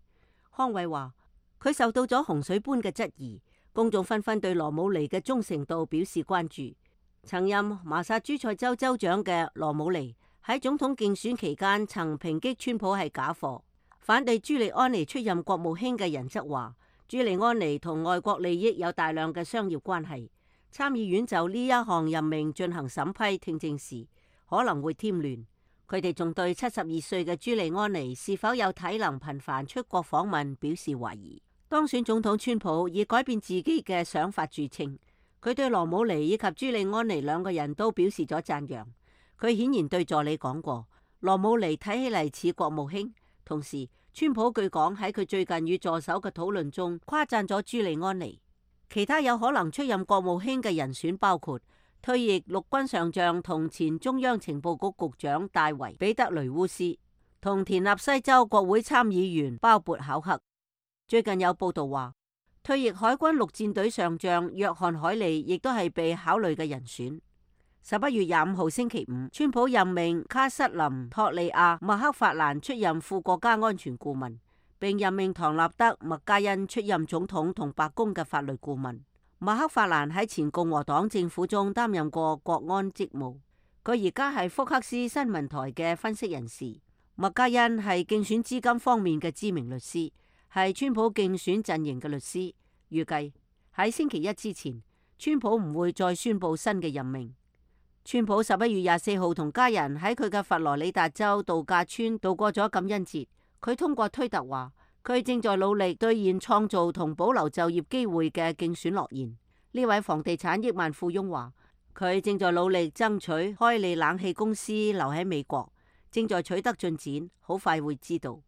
康偉話佢受到咗洪水般嘅質疑，公眾紛紛對羅姆尼嘅忠誠度表示關注。曾任麻薩諸塞州州長嘅羅姆尼喺總統競選期間曾抨擊川普係假貨。反對朱利安尼出任國務卿嘅人則話，朱利安尼同外國利益有大量嘅商業關係。參議院就呢一項任命進行審批聽證時，可能會添亂。佢哋仲對七十二歲嘅朱利安尼是否有體能頻繁出國訪問表示懷疑。當選總統川普以改變自己嘅想法著稱。佢對羅姆尼以及朱利安尼兩個人都表示咗讚揚。佢顯然對助理講過，羅姆尼睇起嚟似國務卿。同時，川普據講喺佢最近與助手嘅討論中誇讚咗朱利安尼。其他有可能出任國務卿嘅人選包括退役陸軍上將同前中央情報局局長戴維彼得雷烏斯，同田納西州國會參議員鮑勃考克。最近有報道話，退役海軍陸戰隊上將約翰海利亦都係被考慮嘅人選。十一月廿五號星期五，川普任命卡瑟琳托利亞麥克法蘭出任副國家安全顧問，並任命唐納德麥嘉恩出任總統同白宮嘅法律顧問。麥克法蘭喺前共和黨政府中擔任過國安職務，佢而家係福克斯新聞台嘅分析人士。麥嘉恩係競選資金方面嘅知名律師，係川普競選陣營嘅律師。預計喺星期一之前，川普唔會再宣布新嘅任命。川普十一月廿四號同家人喺佢嘅佛羅里達州度假村度過咗感恩節。佢通過推特話，佢正在努力兌現創造同保留就業機會嘅競選諾言。呢位房地產億萬富翁話，佢正在努力爭取開利冷氣公司留喺美國，正在取得進展，好快會知道。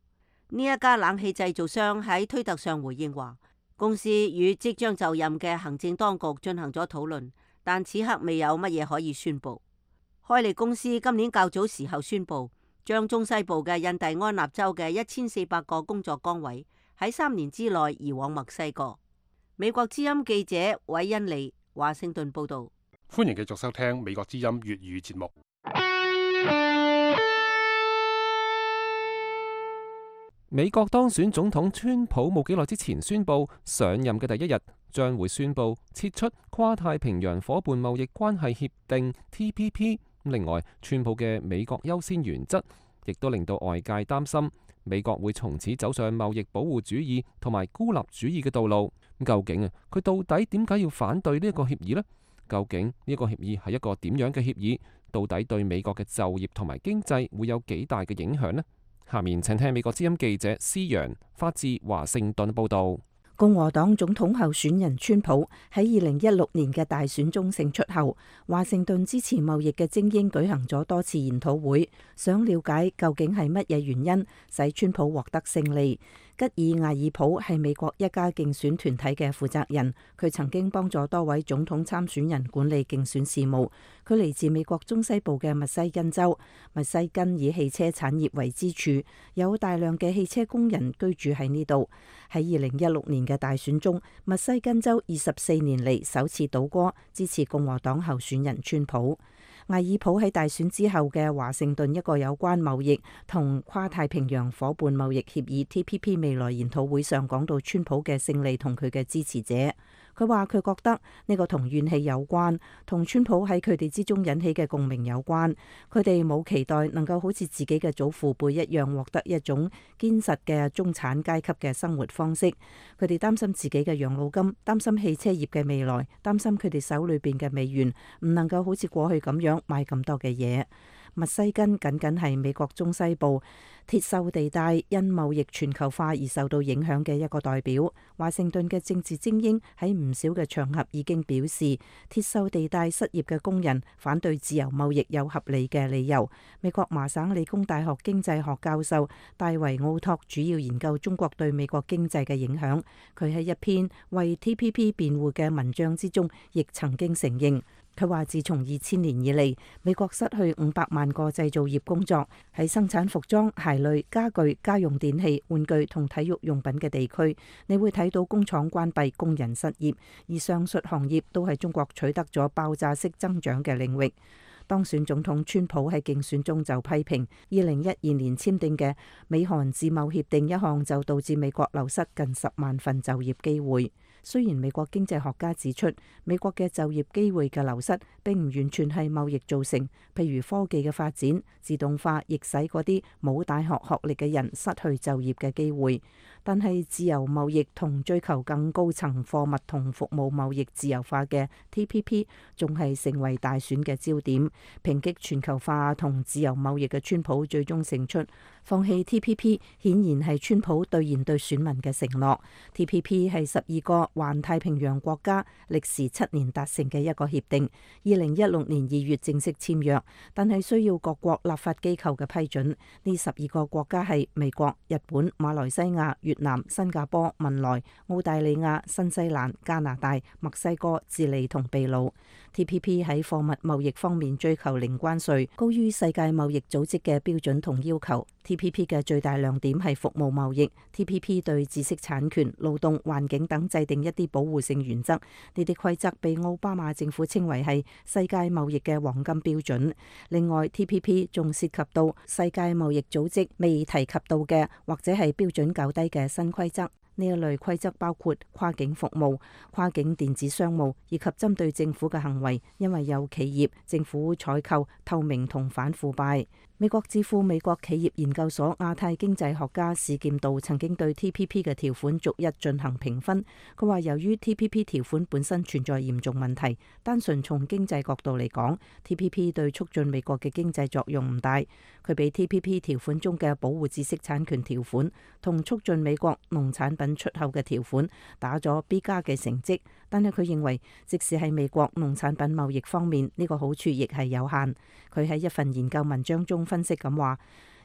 呢一家冷氣製造商喺推特上回應話，公司與即將就任嘅行政當局進行咗討論，但此刻未有乜嘢可以宣布。開利公司今年較早時候宣布，將中西部嘅印第安納州嘅一千四百個工作崗位喺三年之內移往墨西哥。美國之音記者韋恩利華盛頓報道。歡迎繼續收聽美國之音粵語節目。美國當選總統川普冇幾耐之前宣布，上任嘅第一日將會宣布撤出跨太平洋夥伴貿易關係協定 T P P。另外，川普嘅美國優先原則亦都令到外界擔心，美國會從此走上貿易保護主義同埋孤立主義嘅道路。究竟啊，佢到底點解要反對呢一個協議呢？究竟呢個協議係一個點樣嘅協議？到底對美國嘅就業同埋經濟會有幾大嘅影響呢？下面請聽美國之音記者施陽發自華盛頓報道。共和黨總統候選人川普喺二零一六年嘅大選中勝出後，華盛頓支持貿易嘅精英舉行咗多次研討會，想了解究竟係乜嘢原因使川普獲得勝利。吉爾艾爾普係美國一家競選團體嘅負責人，佢曾經幫助多位總統參選人管理競選事務。佢嚟自美國中西部嘅密西根州，密西根以汽車產業為支柱，有大量嘅汽車工人居住喺呢度。喺二零一六年嘅大選中，密西根州二十四年嚟首次倒戈，支持共和黨候選人川普。艾爾普喺大選之後嘅華盛頓一個有關貿易同跨太平洋夥伴貿易協議 T P P 未來研討會上講到川普嘅勝利同佢嘅支持者。佢話佢覺得呢個同怨氣有關，同川普喺佢哋之中引起嘅共鳴有關。佢哋冇期待能夠好似自己嘅祖父輩一樣獲得一種堅實嘅中產階級嘅生活方式。佢哋擔心自己嘅養老金，擔心汽車業嘅未來，擔心佢哋手裏邊嘅美元唔能夠好似過去咁樣買咁多嘅嘢。密西根僅僅係美國中西部鐵鏽地帶因貿易全球化而受到影響嘅一個代表。華盛頓嘅政治精英喺唔少嘅場合已經表示，鐵鏽地帶失業嘅工人反對自由貿易有合理嘅理由。美國麻省理工大學經濟學教授戴維奧托主要研究中國對美國經濟嘅影響。佢喺一篇為 T P P 辯護嘅文章之中，亦曾經承認。佢話：自從二千年以嚟，美國失去五百萬個製造業工作，喺生產服裝、鞋類、家具、家用電器、玩具同體育用品嘅地區，你會睇到工廠關閉、工人失業，而上述行業都係中國取得咗爆炸式增長嘅領域。當選總統川普喺競選中就批評二零一二年簽訂嘅美韓自貿協定一項，就導致美國流失近十萬份就業機會。雖然美國經濟學家指出，美國嘅就業機會嘅流失並唔完全係貿易造成，譬如科技嘅發展、自動化，亦使嗰啲冇大學學歷嘅人失去就業嘅機會。但係自由貿易同追求更高層貨物同服務貿易自由化嘅 T P P 仲係成為大選嘅焦點。抨擊全球化同自由貿易嘅川普最終勝出，放棄 T P P 顯然係川普兌現對選民嘅承諾。T P P 係十二個環太平洋國家歷時七年達成嘅一個協定，二零一六年二月正式簽約，但係需要各國立法機構嘅批准。呢十二個國家係美國、日本、馬來西亞、越南、新加坡、文萊、澳大利亞、新西蘭、加拿大、墨西哥、智利同秘魯。T P P 喺貨物貿易方面追求零關稅，高於世界貿易組織嘅標準同要求。T P P 嘅最大亮點係服務貿易。T P P 對知識產權、勞動、環境等制定一啲保護性原則，呢啲規則被奧巴馬政府稱為係世界貿易嘅黃金標準。另外 T P P 仲涉及到世界貿易組織未提及到嘅或者係標準較低嘅新規則。呢一類規則包括跨境服務、跨境電子商務以及針對政府嘅行為，因為有企業、政府採購、透明同反腐敗。美國智庫美國企業研究所亞太經濟學家史劍道曾經對 T P P 嘅條款逐一進行評分。佢話由於 T P P 條款本身存在嚴重問題，單純從經濟角度嚟講， T P P 對促進美國嘅經濟作用唔大。佢俾 T P P 條款中嘅保護知識產權條款同促進美國農產品出口嘅條款打咗 B 加嘅成績，但係佢認為即使喺美國農產品貿易方面，呢個好處亦係有限。佢喺一份研究文章中分析咁話，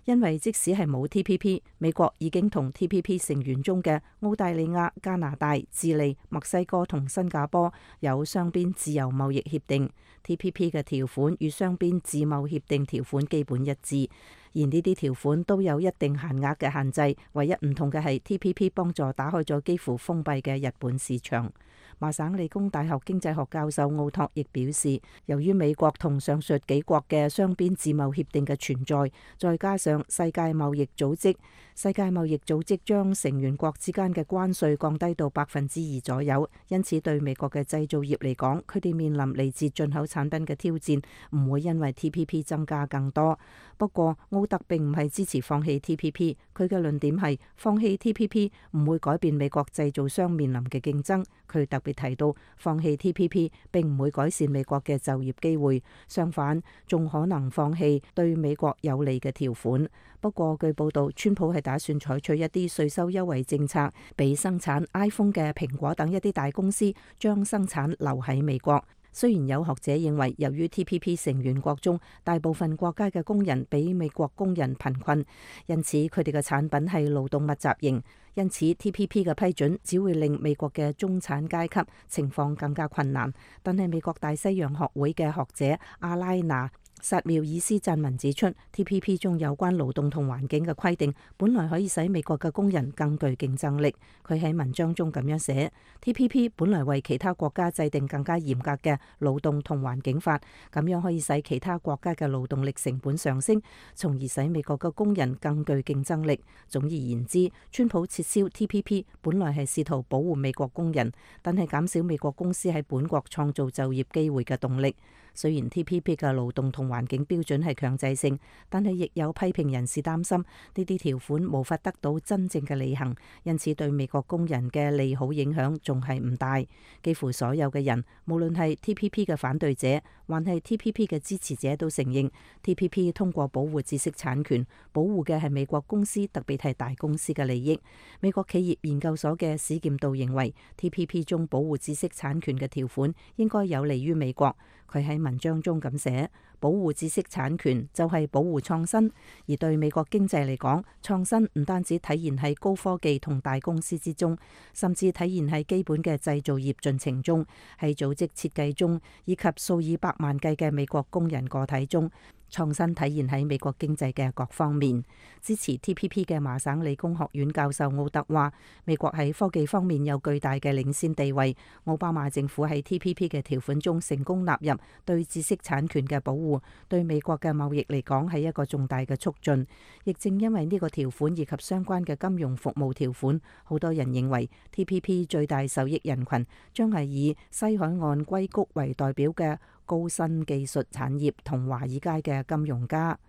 因為即使係冇 T P P， 美國已經同 T P P 成員中嘅澳大利亞、加拿大、智利、墨西哥同新加坡有雙邊自由貿易協定。T P P 嘅條款與雙邊自貿協定條款基本一致，而呢啲條款都有一定限額嘅限制，唯一唔同嘅係 T P P 幫助打開咗幾乎封閉嘅日本市場。麻省理工大學經濟學教授奧托亦表示，由於美國同上述幾國嘅雙邊自貿協定嘅存在，再加上世界貿易組織，世界貿易組織將成員國之間嘅關稅降低到百分之二左右，因此對美國嘅製造業嚟講，佢哋面臨嚟自進口產品嘅挑戰，唔會因為 T P P 增加更多。不過奧特並唔係支持放棄 T P P， 佢嘅論點係放棄 T P P 唔會改變美國製造商面臨嘅競爭。佢特別提到，放棄 T P P 並唔會改善美國嘅就業機會，相反仲可能放棄對美國有利嘅條款。不過據報道，川普係打算採取一啲稅收優惠政策，俾生產 iPhone 嘅蘋果等一啲大公司將生產留喺美國。雖然有學者認為，由於 T P P 成員國中大部分國家嘅工人比美國工人貧困，因此佢哋嘅產品係勞動密集型，因此 T P P 嘅批准只會令美國嘅中產階級情況更加困難。但係美國大西洋學會嘅學者阿拉娜薩繆爾斯撰文指出 ，T P P 中有關勞動同環境嘅規定，本來可以使美國嘅工人更具競爭力。佢喺文章中咁樣寫 ：T P P 本來為其他國家制定更加嚴格嘅勞動同環境法，咁樣可以使其他國家嘅勞動力成本上升，從而使美國嘅工人更具競爭力。總而言之，川普撤銷 T P P 本來係試圖保護美國工人，但係減少美國公司喺本國創造就業機會嘅動力。雖然 T P P 嘅勞動同環境標準係強制性，但係亦有批評人士擔心呢啲條款無法得到真正嘅履行，因此對美國工人嘅利好影響仲係唔大。幾乎所有嘅人，無論係 T P P 嘅反對者，還係 T P P 嘅支持者，都承認 T P P 通過保護知識產權，保護嘅係美國公司，特別係大公司嘅利益。美國企業研究所嘅史劍道認為 T P P 中保護知識產權嘅條款應該有利於美國。佢喺文章中咁寫：保護知識產權就係保護創新，而對美國經濟嚟講，創新唔單止體現喺高科技同大公司之中，甚至體現喺基本嘅製造業進程中，喺組織設計中，以及數以百萬計嘅美國工人個體中。創新體現喺美國經濟嘅各方面。支持 T P P 嘅麻省理工學院教授奧特話：美國喺科技方面有巨大嘅領先地位。奧巴馬政府喺 T P P 嘅條款中成功納入對知識產權嘅保護，對美國嘅貿易嚟講係一個重大嘅促進。亦正因為呢個條款以及相關嘅金融服務條款，好多人認為 T P P 最大受益人群將係以西海岸硅谷為代表嘅高新技術產業同華爾街嘅金融家。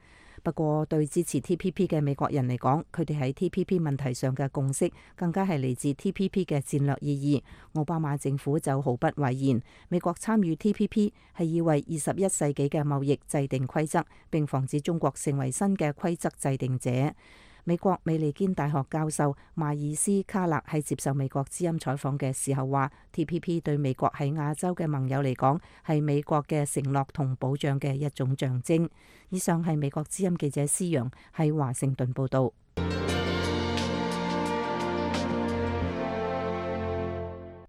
不過對支持 T P P 嘅美國人嚟講，佢哋喺 T P P 問題上嘅共識更加係嚟自 T P P 嘅戰略意義。奧巴馬政府就毫不諱言，美國參與 T P P 係要為二十一世紀嘅貿易制定規則，並防止中國成為新嘅規則制定者。美國美利堅大學教授邁爾斯卡勒喺接受美國之音採訪嘅時候話 ，T P P 對美國喺亞洲嘅盟友嚟講係美國嘅承諾同保障嘅一種象徵。以上係美國之音記者施陽喺華盛頓報道。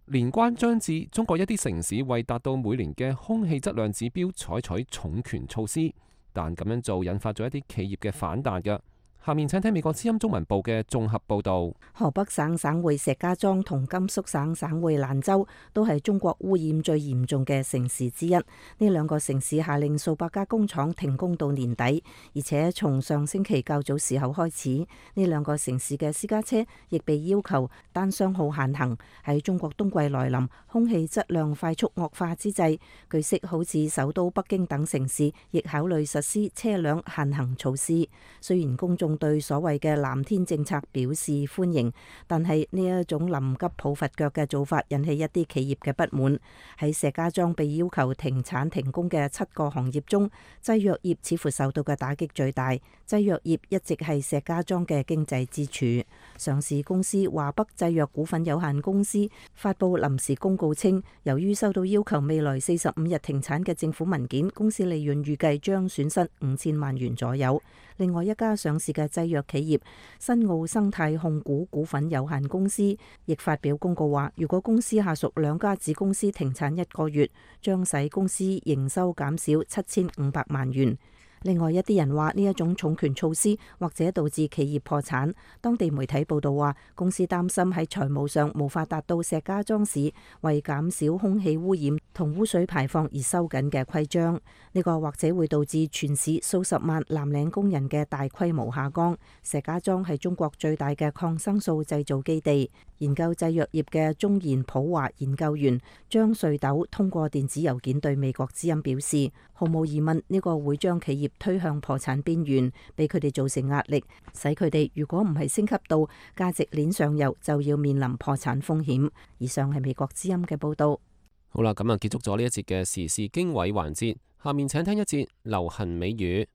年關將至，中國一啲城市為達到每年嘅空氣質量指標採取重拳措施，但咁樣做引發咗一啲企業嘅反彈嘅。下面請聽美國之音中文部嘅綜合報導。河北省省會石家莊同甘肅省省會蘭州都係中國污染最嚴重嘅城市之一。呢兩個城市下令數百家工廠停工到年底，而且從上星期較早時候開始，呢兩個城市嘅私家車亦被要求單雙號限行。喺中國冬季來臨、空氣質量快速惡化之際，據悉好似首都北京等城市亦考慮實施車輛限行措施。雖然公眾對所謂嘅藍天政策表示歡迎，但係呢一種臨急抱佛腳嘅做法引起一啲企業嘅不滿。喺石家莊被要求停產停工嘅七個行業中，製藥業似乎受到嘅打擊最大。製藥業一直係石家莊嘅經濟支柱。上市公司華北製藥股份有限公司發布臨時公告稱，由於收到要求未來四十五日停產嘅政府文件，公司利潤預計將損失五千萬元左右。另外一家上市嘅製藥企業新奧生態控股股份有限公司亦發表公告話，如果公司下屬兩家子公司停產一個月，將使公司營收減少七千五百萬元。另外一啲人話呢一種重拳措施或者導致企業破產。當地媒體報道話，公司擔心喺財務上無法達到石家莊市為減少空氣污染同污水排放而收緊嘅規章。呢個或者會導致全市數十萬藍領工人嘅大規模下崗。石家莊係中國最大嘅抗生素製造基地。研究製藥業嘅中研普華研究員張瑞斗通過電子郵件對美國之音表示，毫無疑問呢個會將企業推向破產邊緣，俾佢哋造成壓力，使佢哋如果唔係升級到價值鏈上游，就要面臨破產風險。以上係美國之音嘅報道。好啦，咁啊結束咗呢一節嘅時事經緯環節，下面請聽一節流行美語。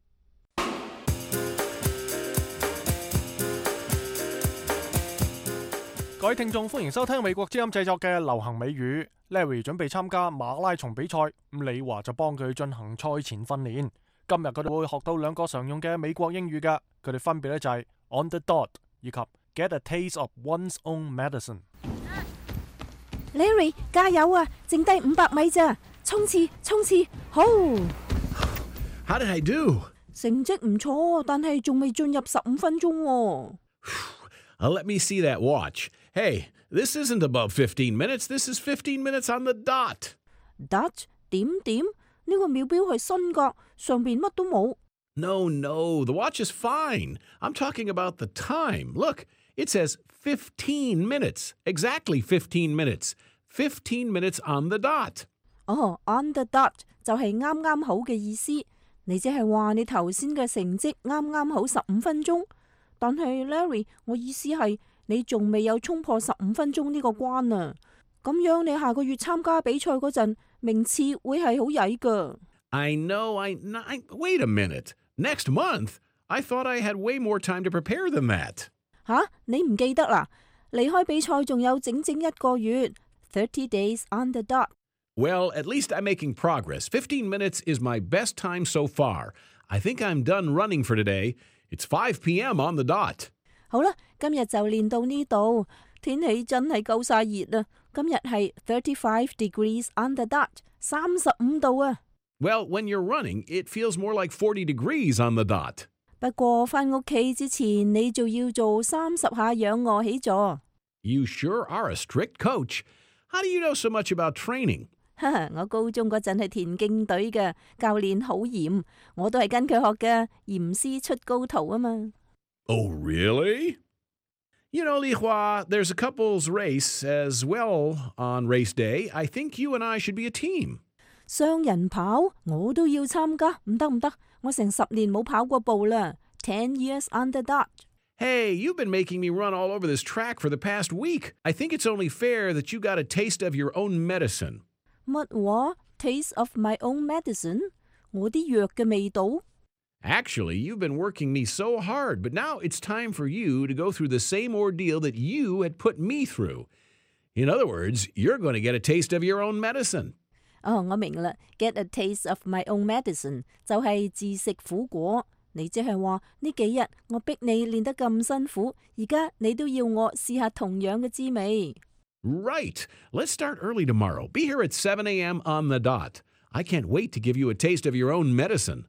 各位聽眾，歡迎收聽美國之音製作嘅流行美語。Larry 準備參加馬拉松比賽，咁李華就幫佢進行賽前訓練。今日佢哋會學到兩個常用嘅美國英語㗎，佢哋分別咧就係 on the dot 以及 get a taste of one's own medicine。Larry 加油啊！剩低五百米咋，衝刺衝刺，好 How did I do? 成績唔錯，但係仲未進入十五分鐘喎。Uh, let me see that watch. Hey, this isn't above fifteen minutes. This is fifteen minutes on the dot. Dot 點點呢個秒錶係新㗎，上邊乜都冇。No, no, the watch is fine. I'm talking about the time. Look, it says fifteen minutes. Exactly fifteen minutes. fifteen minutes on the dot. 哦、oh, on the dot 就係啱啱好嘅意思。你即係話你頭先嘅成績啱啱好十五分鐘，但係 Larry， 我意思係你仲未有衝破十五分鐘呢個關啊！咁樣你下個月參加比賽嗰陣，名次會係好曳㗎。I know, I, I... Wait a minute. Next month? I thought I had way more time to prepare than that. 吓？你唔記得啦？離開比賽仲有整整一個月 thirty days on the dot。Well, at least I'm making progress. fifteen minutes is my best time so far. I think I'm done running for today. It's five p m on the dot. 好啦，今日就練到呢度。天氣真係夠晒熱啦！今日係thirty-five degrees on the dot， 三十五度啊。Well, when you're running, it feels more like forty degrees on the dot. 不過返屋企之前，你就要做三十下仰卧起坐。You sure are a strict coach. How do you know so much about training? 我高中嗰陣係田徑隊嘅，教練好嚴，我都係跟佢學嘅，嚴師出高徒啊嘛。Oh, really? You know, Li Hua, there's a couples race as well on race day. I think you and I should be a team. 雙人跑我都要參加，唔得唔得，我成十年冇跑過步啦。Ten years on the dot. Hey, you've been making me run all over this track for the past week. I think it's only fair that you got a taste of your own medicine. 乜話 ？Taste of my own medicine？ 我啲藥嘅味道。Actually, you've been working me so hard, but now it's time for you to go through the same ordeal that you had put me through. In other words, you're going to get a taste of your own medicine. 哦，我明啦 ，get a taste of my own medicine 就係自食苦果。你即係話呢幾日我逼你練得咁辛苦，而家你都要我試下同樣嘅滋味。Right. Let's start early tomorrow. Be here at seven a m on the dot. I can't wait to give you a taste of your own medicine.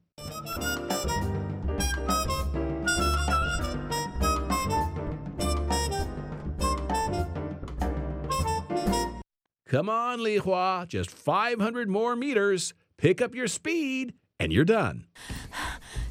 Come on, Li Hua. Just five hundred more meters. Pick up your speed, and you're done.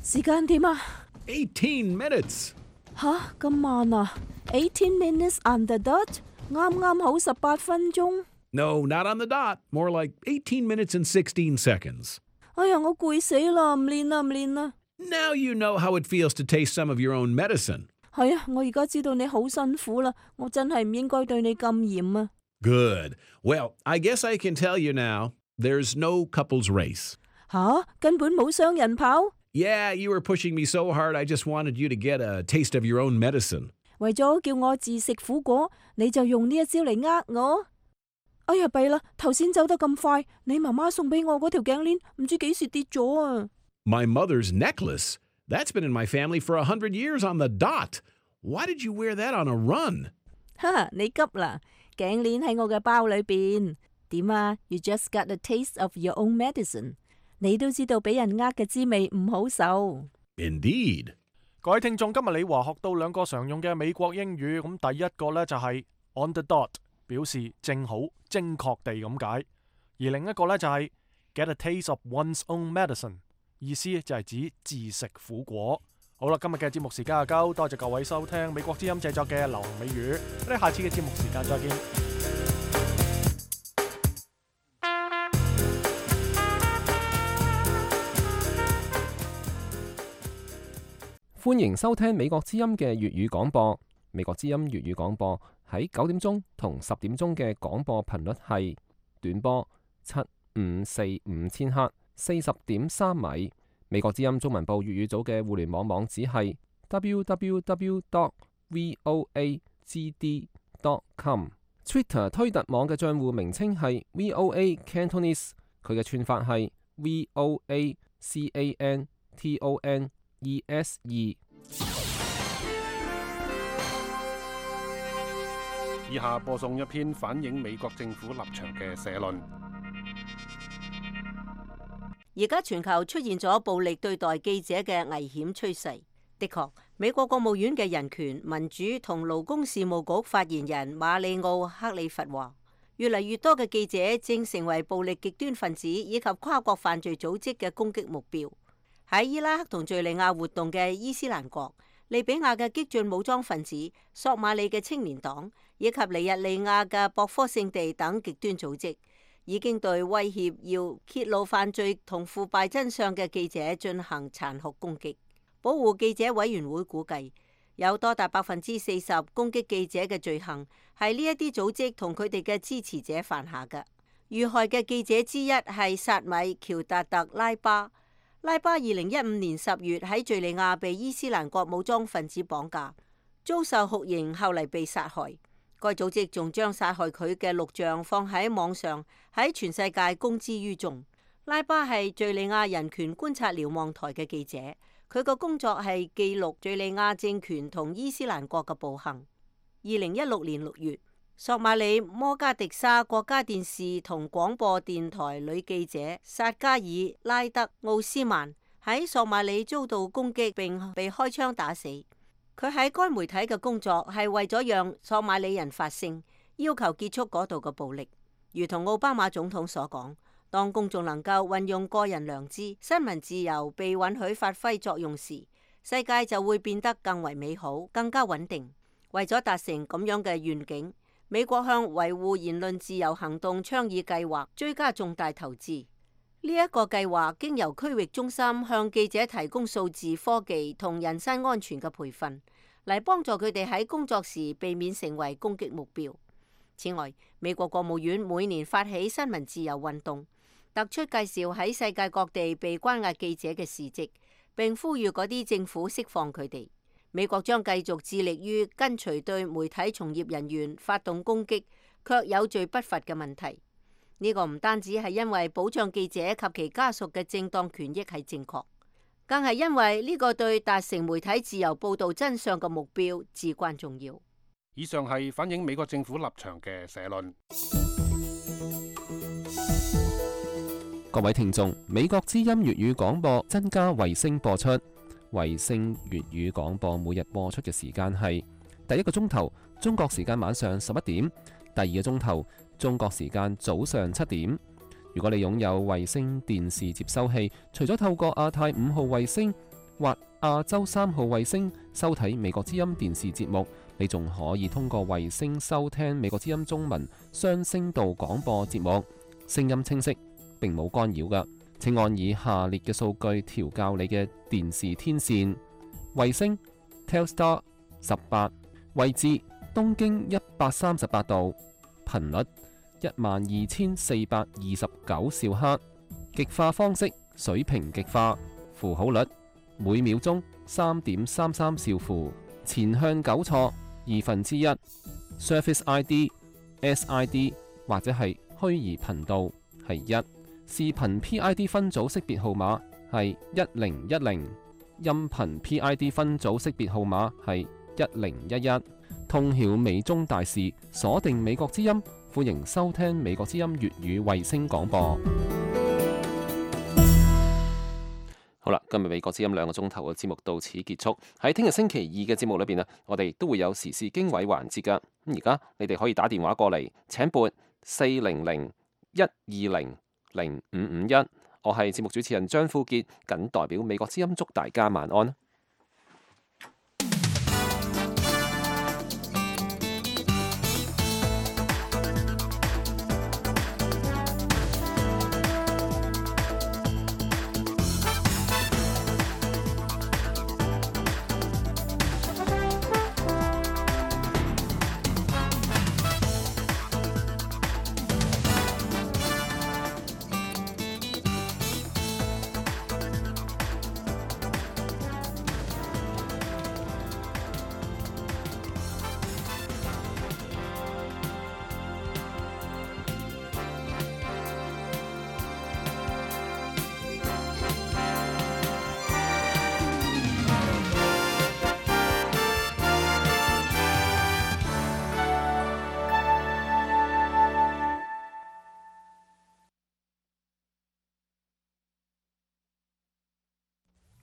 時間點啊 eighteen minutes. 吓，咁慢啊 ？eighteen minutes on the dot， 啱啱好十八分鐘。No, not on the dot. More like eighteen minutes and sixteen seconds. 哎呀，我攰死啦，唔練啦，唔練啦。Now you know how it feels to taste some of your own medicine. 係啊，我而家知道你好辛苦啦，我真係唔應該對你咁嚴啊。Good. Well, I guess I can tell you now, there's no couples race. 吓，根本冇雙人跑。Yeah, you were pushing me so hard, I just wanted you to get a taste of your own medicine. 為咗叫我自食苦果，你就用呢一招嚟呃我。哎呀，弊啦！頭先走得咁快，你媽媽送俾我嗰條頸鏈唔知幾時跌咗啊 My mother's necklace? That's been in my family for a hundred years on the dot. Why did you wear that on a run? 哈，你急啦！頸鏈喺我嘅包裏邊。點啊 ？You just got a taste of your own medicine。你都知道俾人呃嘅滋味唔好受。Indeed。各位聽眾，今日李華學到兩個常用嘅美國英語，咁第一個呢就係 on the dot， 表示正好、精確地咁解；而另一個呢就係 get a taste of one's own medicine， 意思就係指自食苦果。好啦，今日嘅節目時間就夠，多謝各位收聽美國之音製作嘅流行美語，我哋下次嘅節目時間再見。歡迎收聽美國之音嘅粵語廣播。美國之音粵語廣播喺九點鐘同十點鐘嘅廣播頻率係短波七五四五千赫，四十點三米。美國之音中文部粵語組嘅互聯網網址係 double-u double-u double-u dot voa g d dot com。Twitter 推特網嘅帳戶名稱係 V O A Cantonese， 佢嘅串法係 V O A C A N T O N E S E。以下播送一篇反映美國政府立場嘅社論。而家全球出現咗暴力對待記者嘅危險趨勢。的確，美國國務院嘅人權、民主同勞工事務局發言人馬里奧克里弗話，越嚟越多嘅記者正成為暴力極端分子以及跨國犯罪組織嘅攻擊目標。喺伊拉克同敘利亞活動嘅伊斯蘭國、利比亞嘅激進武裝分子、索馬里嘅青年黨以及尼日利亞嘅博科聖地等極端組織，已經對威脅要揭露犯罪同腐敗真相嘅記者進行殘酷攻擊。保護記者委員會估計，有多達百分之四十攻擊記者嘅罪行係呢一啲組織同佢哋嘅支持者犯下嘅。遇害嘅記者之一係薩米喬達特拉巴。拉巴二零一五年十月喺敘利亞被伊斯蘭國武裝分子綁架，遭受酷刑，後嚟被殺害。該組織仲將殺害佢嘅錄像放喺網上，喺全世界公之於眾。拉巴係敘利亞人權觀察瞭望台嘅記者。佢個工作係記錄敘利亞政權同伊斯蘭國嘅暴行。二零一六年六月，索馬里摩加迪沙國家電視同廣播電台女記者薩加爾拉德奧斯曼喺索馬里遭到攻擊並被開槍打死。佢喺該媒體嘅工作係為咗讓索馬里人發聲，要求結束嗰度嘅暴力。如同奧巴馬總統所講，當公眾能夠運用個人良知，新聞自由被允許發揮作用時，世界就會變得更為美好、更加穩定。為咗達成咁樣嘅願景，美國向維護言論自由行動倡議計劃追加重大投資。呢一個計劃經由區域中心向記者提供數字科技同人身安全嘅培訓，嚟幫助佢哋喺工作時避免成為攻擊目標。此外，美國國務院每年發起新聞自由運動，突出介紹喺世界各地被關押記者嘅事蹟，並呼籲嗰啲政府釋放佢哋。美國將繼續致力於根除對媒體從業人員發動攻擊卻有罪不罰嘅問題。呢個唔單止係因為保障記者及其家屬嘅正當權益係正確，更係因為呢個對達成媒體自由報導真相嘅目標至關重要。以上係反映美國政府立場嘅社論。各位聽眾，美國之音粵語廣播增加衛星播出。衛星粵語廣播每日播出嘅時間係第一個鐘頭中國時間晚上十一點，第二個鐘頭中國時間早上七點。如果你擁有衛星電視接收器，除咗透過亞太五號衛星或亞洲三號衛星收睇美國之音電視節目，你仲可以通過衛星收聽美國之音中文雙聲道廣播節目，聲音清晰，並冇干擾㗎。請按以下列嘅數據調校你嘅電視天線：衛星 Telstar 十八，位置東經一百三十八度，頻率一萬二千四百二十九兆赫，極化方式水平極化，符號率每秒鐘三點三三兆符，前向糾錯二分之一 ，Surface I D、S I D 或者係虛擬頻道係一。視頻 P I D 分組識別號碼係一零一零，音頻 P I D 分組識別號碼係一零一一。通曉美中大事，鎖定美國之音，歡迎收聽美國之音粵語衛星廣播。好啦，今日美國之音兩個鐘頭嘅節目到此結束。喺聽日星期二嘅節目裏邊啊，我哋都會有時事經緯環節噶。咁而家你哋可以打電話過嚟，請撥四零零一二零零五五一，我係節目主持人張富傑，謹代表美國之音祝大家晚安。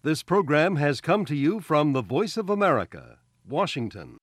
This program has come to you from the Voice of America, Washington.